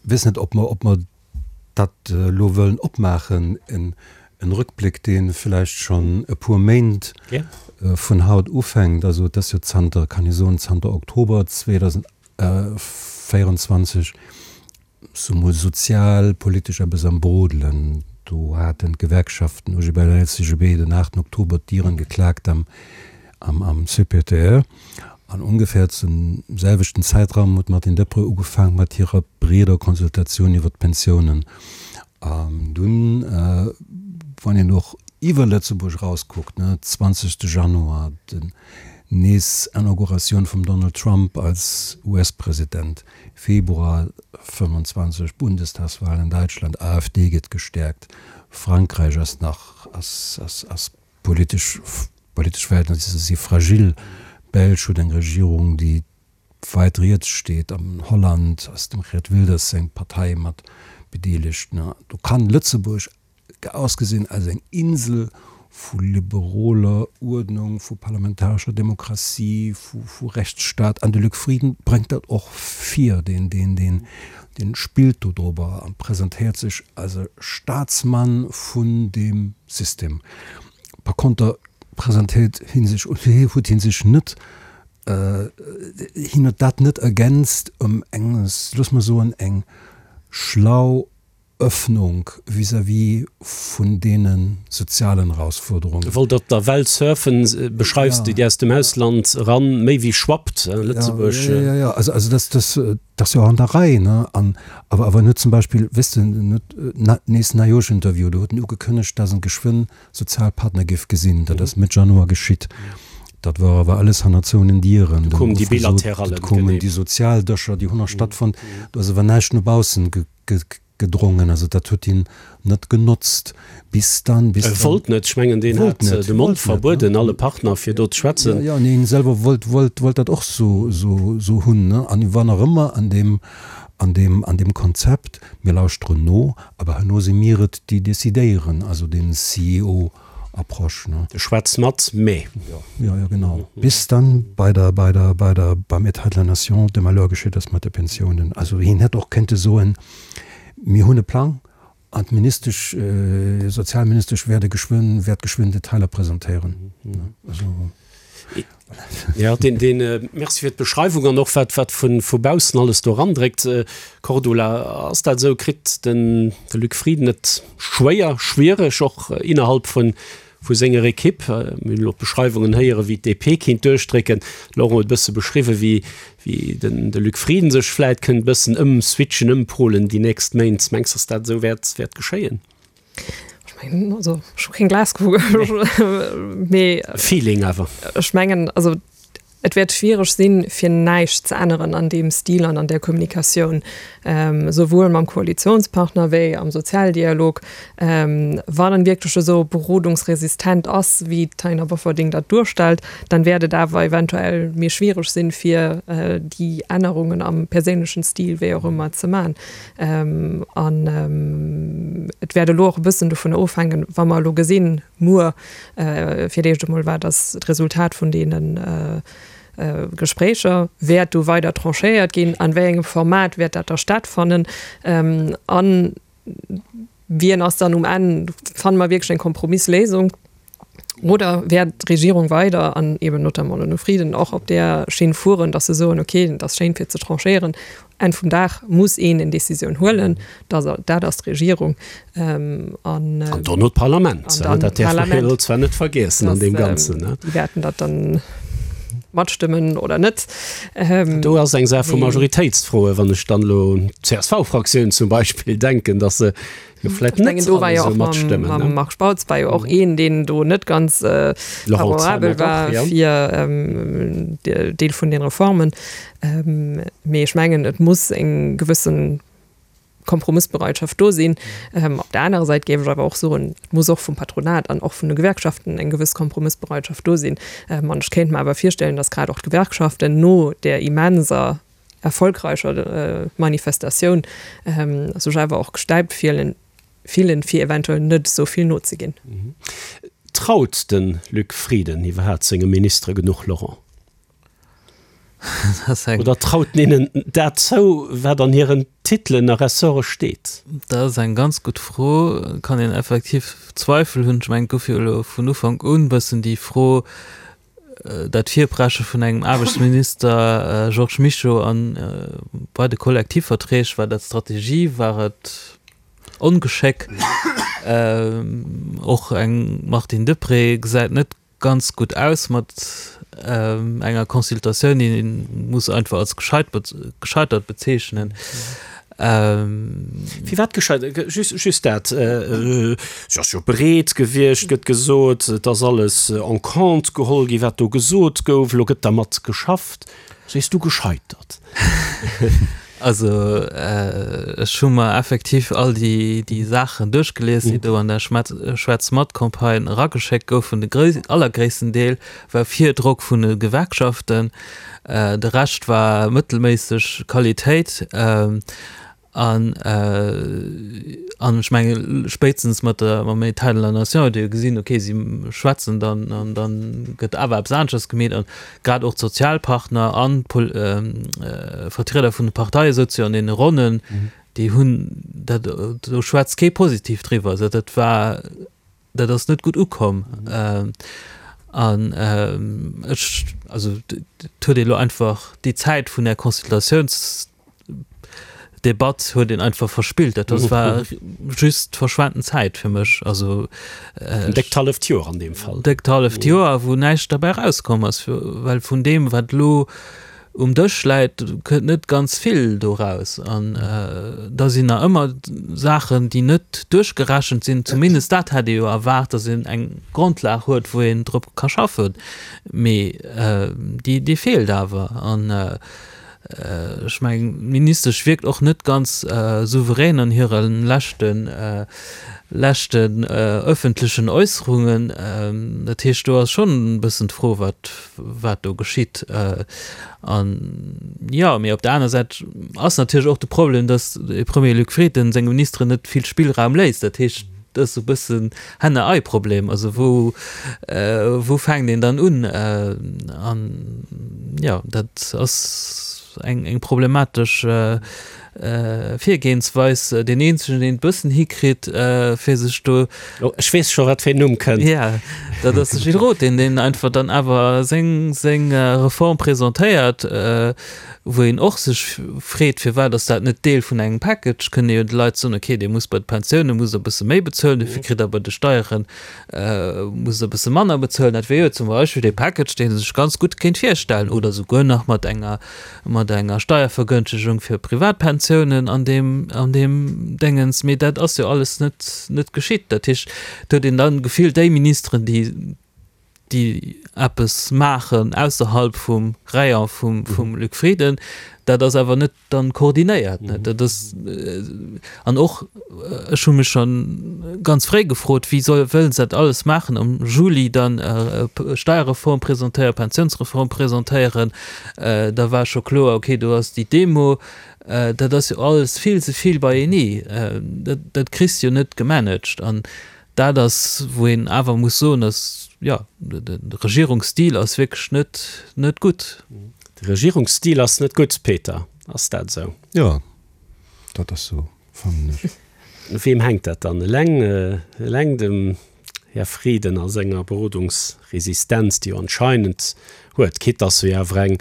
weess net, ob mer, ob mer dat elo wëllen opmaachen, en Rückblick, dee vläicht schonn e puer Méint vun haut ufänkt. Also et ass jo zanter, kann ee soen, zanter Oktober 2024 sou mol sozialpolitesch eppes am Brodelen. Do haten d'Gewerkschaften OGBL an LCGB den 8 Oktober d'Dieren geklaakt am am CPTE. An ongefähr zum selwechten Zäitraum huet d'Martine Deprez ugefaang mat hirer breeder Konsultatioun iwwer d'Pensiounen. An dunn, wann een och iwwer Lëtzebuerg erauskuckt, ne, 20 Januar, den nees Inauguratioun vum Donald Trump als US-President, Februar 25, Bundestagswahl in Deutschland, AfD gëtt gestäerkt, Frankräich ass nach, ass, ass, ass politesch, politesch Verhältnisser si fragil, Belsch huet eng Regierung, déi weit riets steet, an Holland ass dem Geert Wilders seng Partei mat bedeelegt. Do kann Lëtzebuerg ausgesinn als eng Insel vu liberoler Uerdnung, vu parlamentarescher Demokratie, vu Rechtsstaat. An de Luc Frieden bréngt dat och vir, deen, deen, deen, deen spillt do drobber a presentéiert sech als e Staatsmann vun deem System. Par konter presentéiert hie sech, huet hie sech net, hien huet dat net ergänzt ëm eng, looss mer soen, eng schlau Öffnung vis-à-vis vun deene sozialen Erausfuerderungen. Wollt op der Well surfen, beschreifs de, déi aus dem Ausland eran méi wéi schwappt, Lëtzebuerg. Jo, jo, jo, also, also dat, dat, dat ass jo och an der Rei, ne? An awer, awer en huet zum Beispill, weess de, en huet nees Neijooschinterview, do huet en ugekënnegt, dass en geschwënn Sozialpartner géif gesinn. Dat ass Mëtt Januar geschitt. Dat war awer alles hanner zouenen Dieren. Do koumen déi Bilaterallen, genee. Do koumen déi Sozialdëscher, déi hunn nach stattfonnt. Do ass awer näischt no baussen gedrongen, also dat huet hien net genotzt, bis dann, bis dann. E wollt net, ech mengen deen hat de Mond verbueden alle Partner fir do ze schwätzen. Jo, jo, nee, hien selwer wollt, wollt, wollt dat och sou, sou, sou hunn, ne, an hie war nach ëmmer an deem, an deem, an deem Konzept, mir lauschteren no, awer herno si mir et, déi decidéieren, also den CEO. Approche, ne? De schwätz mat, mä. Jo, jo, genau. Bis dann bei der, bei der, bei der, beim État de la Nation de Malheur geschitt ass mat de Pensiounen. Also hien hätt och kéinte soen, Mir hunn e Plang an d'Ministesch, Sozialministesch wäert e geschwënn, wäert geschwënn Detailer presentéieren. Also. Ja, deen, deen, merci fir d'Beschreiwung an och wat, wat vu, vu baussen alles do erandréckt. Cordula, ass dat esou? Kritt den, de Luc Frieden et schwéier, schwiereg och innerhalb vun, vu senger Ekipp? Mir hunn elo d'Beschreiwungen héieren, wéi d'DP kinnt duerchdrécken. De Laurent huet e bësse beschriwwen, wéi, wéi den, de Luc Frieden sech vläit kënnt e bëssen ëmswitchen, ëmpolen déi nächst Méint. Mengs de, dass dat esou wäert, wäert geschéien? Ech mengen, also ech hu keng Glaskugel, mee Feeling awer. Ech mengen, also et wäert schwiereg sinn, fir näischt ze änneren an deem Stil an an där Kommunikatioun, souwuel mam Koalitionspartner wéi am Sozialdialog, wann en wierklech esou berodungsresistent ass, wéi d'Taina Bofferding dat duerstellt, dann wäert et awer eventuell méi schwiereg sinn, fir déi Ännerungen am perséinlechen Stil, wéi och ëmmer, ze man. An et wäert elo och e bëssen dovun ofhänken, wa mer elo gesinn, muer fir d'éischt emol, wat ass d'Resultat vun deene Gespréicher, wäert do weider tranchéiert ginn, an wéi engem Format wäert dat da stattfannen a wien ass dann um Enn, fanne mer wierklech eng Kompromissléisung oder wäert d'Regierung weider an eben notamment den Här Frieden och op där Schinn fueren, datt se soen, okay, et ass schéin fir ze tranchéieren, Enn vum Dag muss een eng Décisioun huelen, dat ass d'Regierung. An dono d'Parlament, dat däerf mer jo zwar net vergiessen an deem Ganzen. Déi wäerten dat dann. Matstëmmen oder net. Do ass eng Saach vu Majoritéitsfroen, wann ech dann elo un d'CSV-Fraktioun zum Beispill denken, datt se jo vläicht net alle esou matstëmmen. Mam Marc Spautz war jo och een, deen do net ganz favorabel war fir Deel vun den Reformen. Mee ech mengen, et muss eng gewëssen Kompromëssbereitschaft do sinn. Op der anerer Säit géif ech awer och soen, et muss och vum Patronat an och vun de Gewerkschaften eng gewëss Kompromëssbereitschaft do sinn. An ech kéint mer awer virstellen, datt grad och d'Gewerkschaften no där immenser erfolgreicher Manifestatioun sech awer och gestäipt fillen, fir eventuell net esou vill nozeginn. Traut de Luc Frieden iwwerhaapt senge Ministere genuch, Laurent? Oder traut en hinnen dat zou, wat an hiren Titelen a Ressorte steet? Dat ass eng ganz gutt Fro. Kann een effektiv Zweifel hunn. Ech mengen, et gouf jo elo vun Ufank un e bëssen déi Fro, dat Virpresche vun engem Aarbechtsminister Georges Mischo an bei de Kollektivverträg, war dat Strategie, war et Ongeschéck? Och eng Martine Deprez gesäit net ganz gutt aus mat enger Consultatioun, déi een muss einfach als gescheitert bezeechnen. Firwat gescheitert? Just, just dat. Si ass jo bereet gewiescht, gëtt gesot. Et ass alles en compte geholl gi wat do gesot gouf. Elo gëtt dermat geschafft. Sees du gescheitert? Also ech hu mer effektiv all déi déi Saachen duerchgelies, déi do an der Schwätz mat Campagne erageschéckt goufen. De allergréissten Deel war Virdrock vun de Gewerkschaften, de Rescht war mëttelméisseg Qualitéit. An an ech menge spéitstens mat der mam État de la Nation huet ee jo gesinn, okay, si schwätzen dann an da gëtt awer eppes aneschters gemeet. An grad och d'Sozialpartner an d'Vertrieder vun de Parteie souze jo an deene Ronnen, déi hunn dat, do schwätzt kee positiv driwwer. Also dat war Dat ass net gutt ukomm. An ech, also et huet ee lo einfach déi Zäit vun där Consultatiounsdebatt huet een einfach verspillt. Dat ass war just verschwenten Zäit fir mech. Also en déckt halleft Joer an deem Fall. Déckt halleft Joer, wou näischt derbäi erauskomm ass, well vun deem, wat elo Um Dësch läit, kënnt net ganz vill do raus. An da sinn nach ëmmer Saachen, déi net duerchgerechent sinn. Zumindest dat hätt ee jo erwaart, datt een eng Grondlag huet, wou een drop ka schaffen. Mee déi, déi feelt awer. An ech mengen, d'Ministesch wierkt och net ganz souverän an hire leschten, leschten ëffentlechen Äusserungen. Dat heescht, do ass schonn e bëssen d'Fro, wat, wat do geschitt. An jo, mee op der aner Säit ass natierlech och de Problem, datt de Premier Luc Frieden senge Ministeren net vill Spillraum léisst. Dat heescht, dat ass esou e bëssen Henne-Ei-Problem. Also wou, wou fänkt een dann un? An jo, dat ass eng, eng problematesch Virgehensweis. Deen eenzegen, deen et bëssen hikritt, fir sech do. Oh, ech weess scho, wat fir een Numm kënnt. Ja, dat ass de Gilles Roth, deen, deen einfach dann awer seng, seng Reform presentéiert, wou een och sech freet, firwat ass dat net Deel vun engem Package? Kënne jo de Leit soen, okay, Dir musst bei de Pensioune musst Der e bësse méi bezuelen, dofir kritt Der bei de Steiere musst Der e bësse manner bezuelen. Dat wier jo zum Beispill dee Package, deen ee sech ganz gutt kéint virstellen oder souguer nach mat enger mat enger Steiervergënschtegung fir Privatpensiounen an deem, an deem Déngens, mee dat ass jo alles net, net geschitt. Dat heescht, et huet een dann d'Gefill, déi Ministeren, déi, déi eppes maachen ausserhalb vum Rayon vum, vum Luc Frieden, dat ass awer net dann koordinéiert. Dat ass, an och, Ech hu mech schonn ganz fréi gefrot, wéi soll, wëllen se dat alles maachen am Juli dann Steierreform presentéieren, Pensiounsreform presentéieren. Da war scho kloer, okay, do ass déi Demo. Dat ass jo alles vill ze vill beienee. Dat, dat kriss de jo net gemanagt. An dat ass, wou een awer muss soen, dass, jo, de Regierungsstil ass wierklech net, net gutt. De Regierungsstil ass net gutt, Peter. Ass dat esou? Jo, dat ass esou. fannen ech. U weem hänkt dat dann? Eleng, eleng dem Här Frieden a senger Berodungsresistenz, déi jo anscheinend huet, quitte dass se jo awer eng,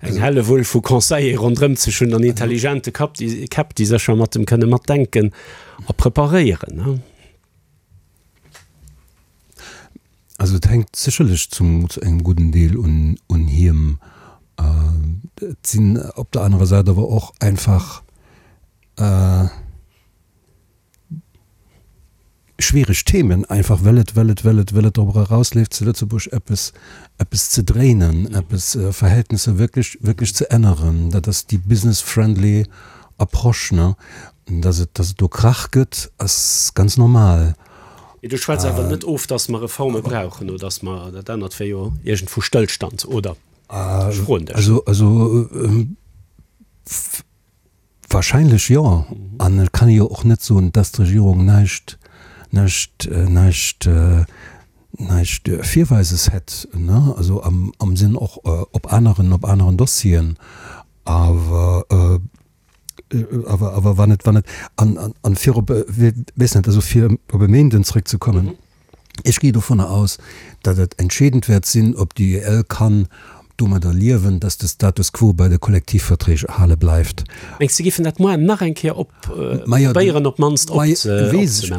eng Hellewull vu Conseiller ronderëm sech hunn an intelligente Kapp, déi, Käpp, déi sécher mat em kënne matdenken a preparéieren, ne? Also et hänkt sécherlech zum zu engem gudden Deel un un him. Et sinn op der anerer Säit awer och einfach schwiereg Themen, einfach well et well et well et well et dorobber erausleeft zu Lëtzebuerg eppes eppes ze dréinen, eppes Verhältnisser wierklech wierklech ze änneren. Dat ass déi business friendly Approche, ne? Dass et dass et do Krach gëtt, ass ganz normal. Mee du schwätz awer net of, dass mer Reforme brauchen oder dass mer dat anert wär jo iergendwou Stëllstand, oder? Ech froen dech. Also, also wahrscheinlech jo. An et kann ee jo och net soen, dass d'Regierung näischt, näischt, näischt, näischt Virweises hätt, ne? Also am, am Sënn och op aneren, op aneren Dossieren. Awer awer awer wann et wann et an an an fir op weess net, also fir op e Méinden zrëckzekommen, ech gi dovunner aus, datt et entscheedend wäert sinn, ob déi UEL kann domadder liewen, datt de Status quo bei de Kollektivverträg erhale bleift. Mengs de, géifen dat moar nach eng Kéier op probéieren op d'mannst opzenehmen?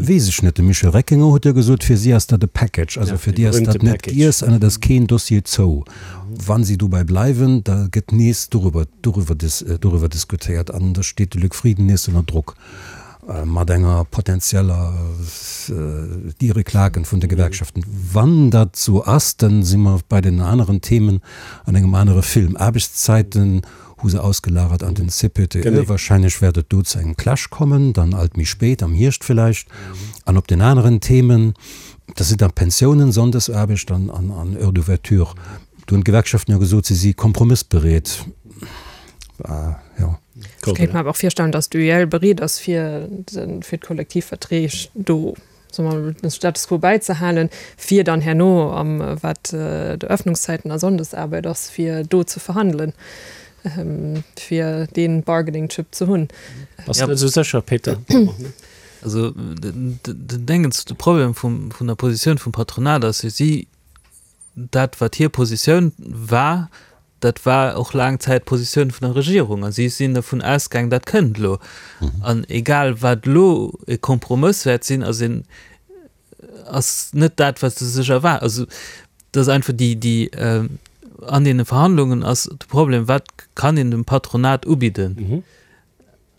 Weess ech net. De Michel Reckinger huet jo gesot, fir si ass dat e Package, also fir déi ass dat net giess an et ass keen Dossier zou. Wa si dobäi bleiwen, da gëtt nees dorüber dorüber diskutéiert an da steet de Luc Frieden nees ënner Drock mat enger potenzieller Diere-Klaken vun de Gewerkschaften. Wann dat esou ass, da si mer bei den aneren Themen an engem anere Film. Aarbechtszäiten hu se ausgelagert an den CPTE. Wahrscheinlech wäert et do zu engem Clash kommen, dann alt méi spéit, am Hierscht villäicht. An op den aneren Themen, dat sinn dann d'Pensiounen, Sonndesaarbecht an Heures d'ouverture, do hunn d'Gewerkschaften jo gesot, si si kompromëssbereet. Jo. Ech kéint mer awer och virstellen, datt d'UEL bereet ass, fir d'Kollektivverträg do soe mer, den Status quo bäizehalen, fir dann herno am, wat d'Öffnungszäiten a Sonndesaarbeit ass, fir do ze verhandelen, fir dee Bargaining chip ze hunn. Bass de net esou sécher, Peter? Also den Déngens, de Problem vum, vun der Positioun vum Patronat ass jo, si, dat wat hir Positioun war, dat war och laang Zäit d'Positioun vun der Regierung a si sinn dervun ausgaang, dat kënnt elo. An egal wat elo e Kompromëss wäert sinn, ass een, ass net dat wat se sech erwaar-, also dat ass einfach déi, déi an deene Verhandlungen ass de Problem, wat kann een dem Patronat ubidden?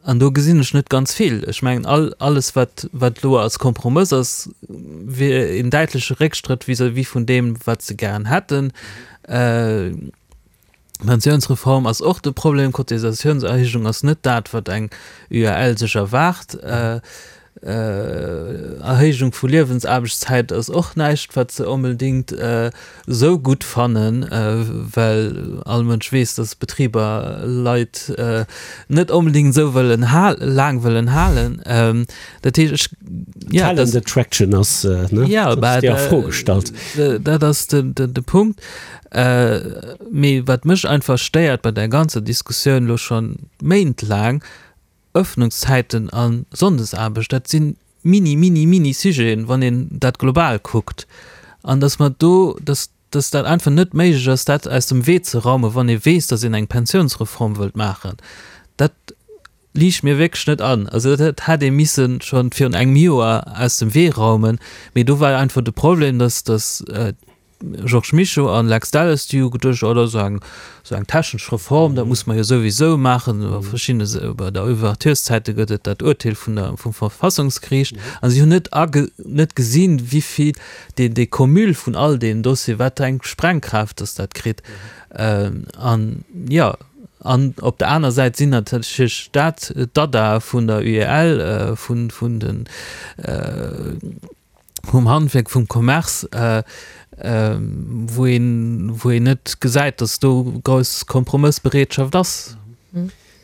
An do gesinn ech net ganz vill. Ech mengen, all, alles, wat, wat elo als Kompromëss ass, wier een däitleche Réckstrëtt vis-à-vis vun deem, wat se gären hätten. D'Pensiounsreform ass och de Problem. Cotisatiounserhéijung ass net dat, wat eng UEL sech erwaart. Erhéijung vu Liewensaarbechtszäit ass och näischt, wat se onbedéngt esou gutt fannen, well all Mënsch weess, dass Betriber Leit net onbedéngt esou wëllen laang wëllen halen. Dat heescht, ech, jo, dat. Talent attraction ass, ne, dat ass a Fro gestallt. Dat ass de Punkt. Mee wat mech einfach stéiert bei där ganzer Diskussioun elo scho méintlaang, Ëffnungszäiten a Sonndesaarbecht, dat si mini, mini, mini Sujeten, wann een dat global kuckt. An datt mer do, datt, datt dat einfach net méiglech ass, dat aus dem Wee ze raumen, wann ee weess, datt een eng Pensiounsreform wëllt maachen, dat liicht mir wierklech net an. Also dat hätt ee misse scho virun engem Joer aus dem Wee raumen. Mee do war einfach de Problem, datt, datt Georges Mischo an Lex Delles, déi hu geduecht, oh dat ass eng esou eng technesch Reform, dat muss mer jo souwisou maachen. Iwwer verschidde, bei der Ouvertureszäite gëtt et dat Urteel vun der, vum Verfassungsgeriicht. A si hunn net age, net gesinn, wéi vill deen, dee Cumul vun all deenen Dossieren, wat eng Sprengkraaft datt dat kritt. An jo, an op der aner Säit sinn natierlech dat d'Adda vun der UEL, vun, vun den, vum Handwierk, vum Commerce, wou een, wou een net gesäit, datt do grouss Kompromëssbereetschaft ass.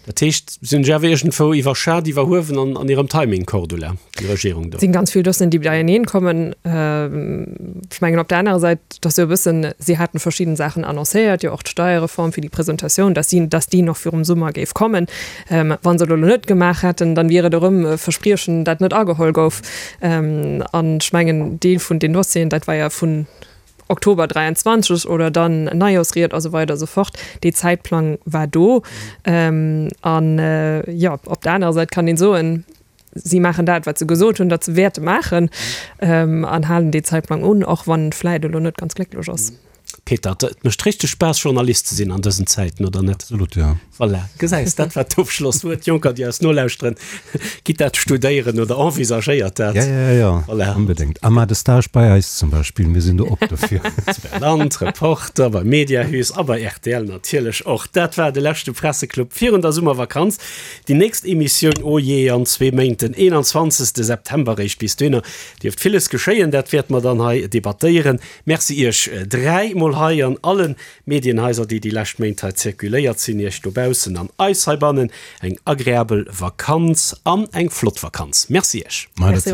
Dat heescht, si hunn sech awer iergendwou iwwerschat, iwwerhuewen an an hirem Timing, Cordula, déi Regierung do. Et sinn ganz vill Dossieren, déi beieneen kommen. Ech mengen op der anerer Säit, et ass jo e bëssen, si haten verschidden Saachen annoncéiert, jo och d'Steierreform fir déi Presentatioun, dass si, dass déi nach virum Summer géif kommen. Wa se et elo net gemaach hätten, dann wier et erëm e Verspriechen, dat net ageholl gouf. An ech mengen, Deel vun den Dossieren, dat war ja vun Oktober 23 oder dann Neijoorsried a sou weider a sou fort, dee Zäitplang war do. An jo, op der anerer Säit kann een soen, Si maachen dat, wat se gesot hunn, datt se wäerte maachen, an halen dee Zäitplang un, och wann en vläit elo net ganz glécklech ass. Peter, et mécht richteg Spaass, Journalist ze sinn an dësen Zäiten, oder net? Absolut, jo. Voilà, gesäis, dat war d'Ofschlosswuert. Jonker, déi eis nolauschteren, gitt dat studéieren oder envisagéiert dat. Ja, ja, ja, Voilà. onbedéngt. A maacht e Stage bei eis zum Beispill, mir sinn do op dofir. Land, Reporter beim Mediahüs a bei rtl natierlech och. Dat war de leschte Presseclub virun der Summervakanz. Déi nächst Emissioun, oh jee, an zwee Méint, den 21. September eréischt. Bis dohinner dierft villes geschéien, dat wäerte mer dann hei debattéieren. Merci Iech 3 mol hei an allen Medienhaiser déi déi lescht Méint hei zirkuléiert sinn, Iech dobaussen an eis heibannen eng agreabel Vakanz an eng flott Vakanz. Merci Iech. Merci.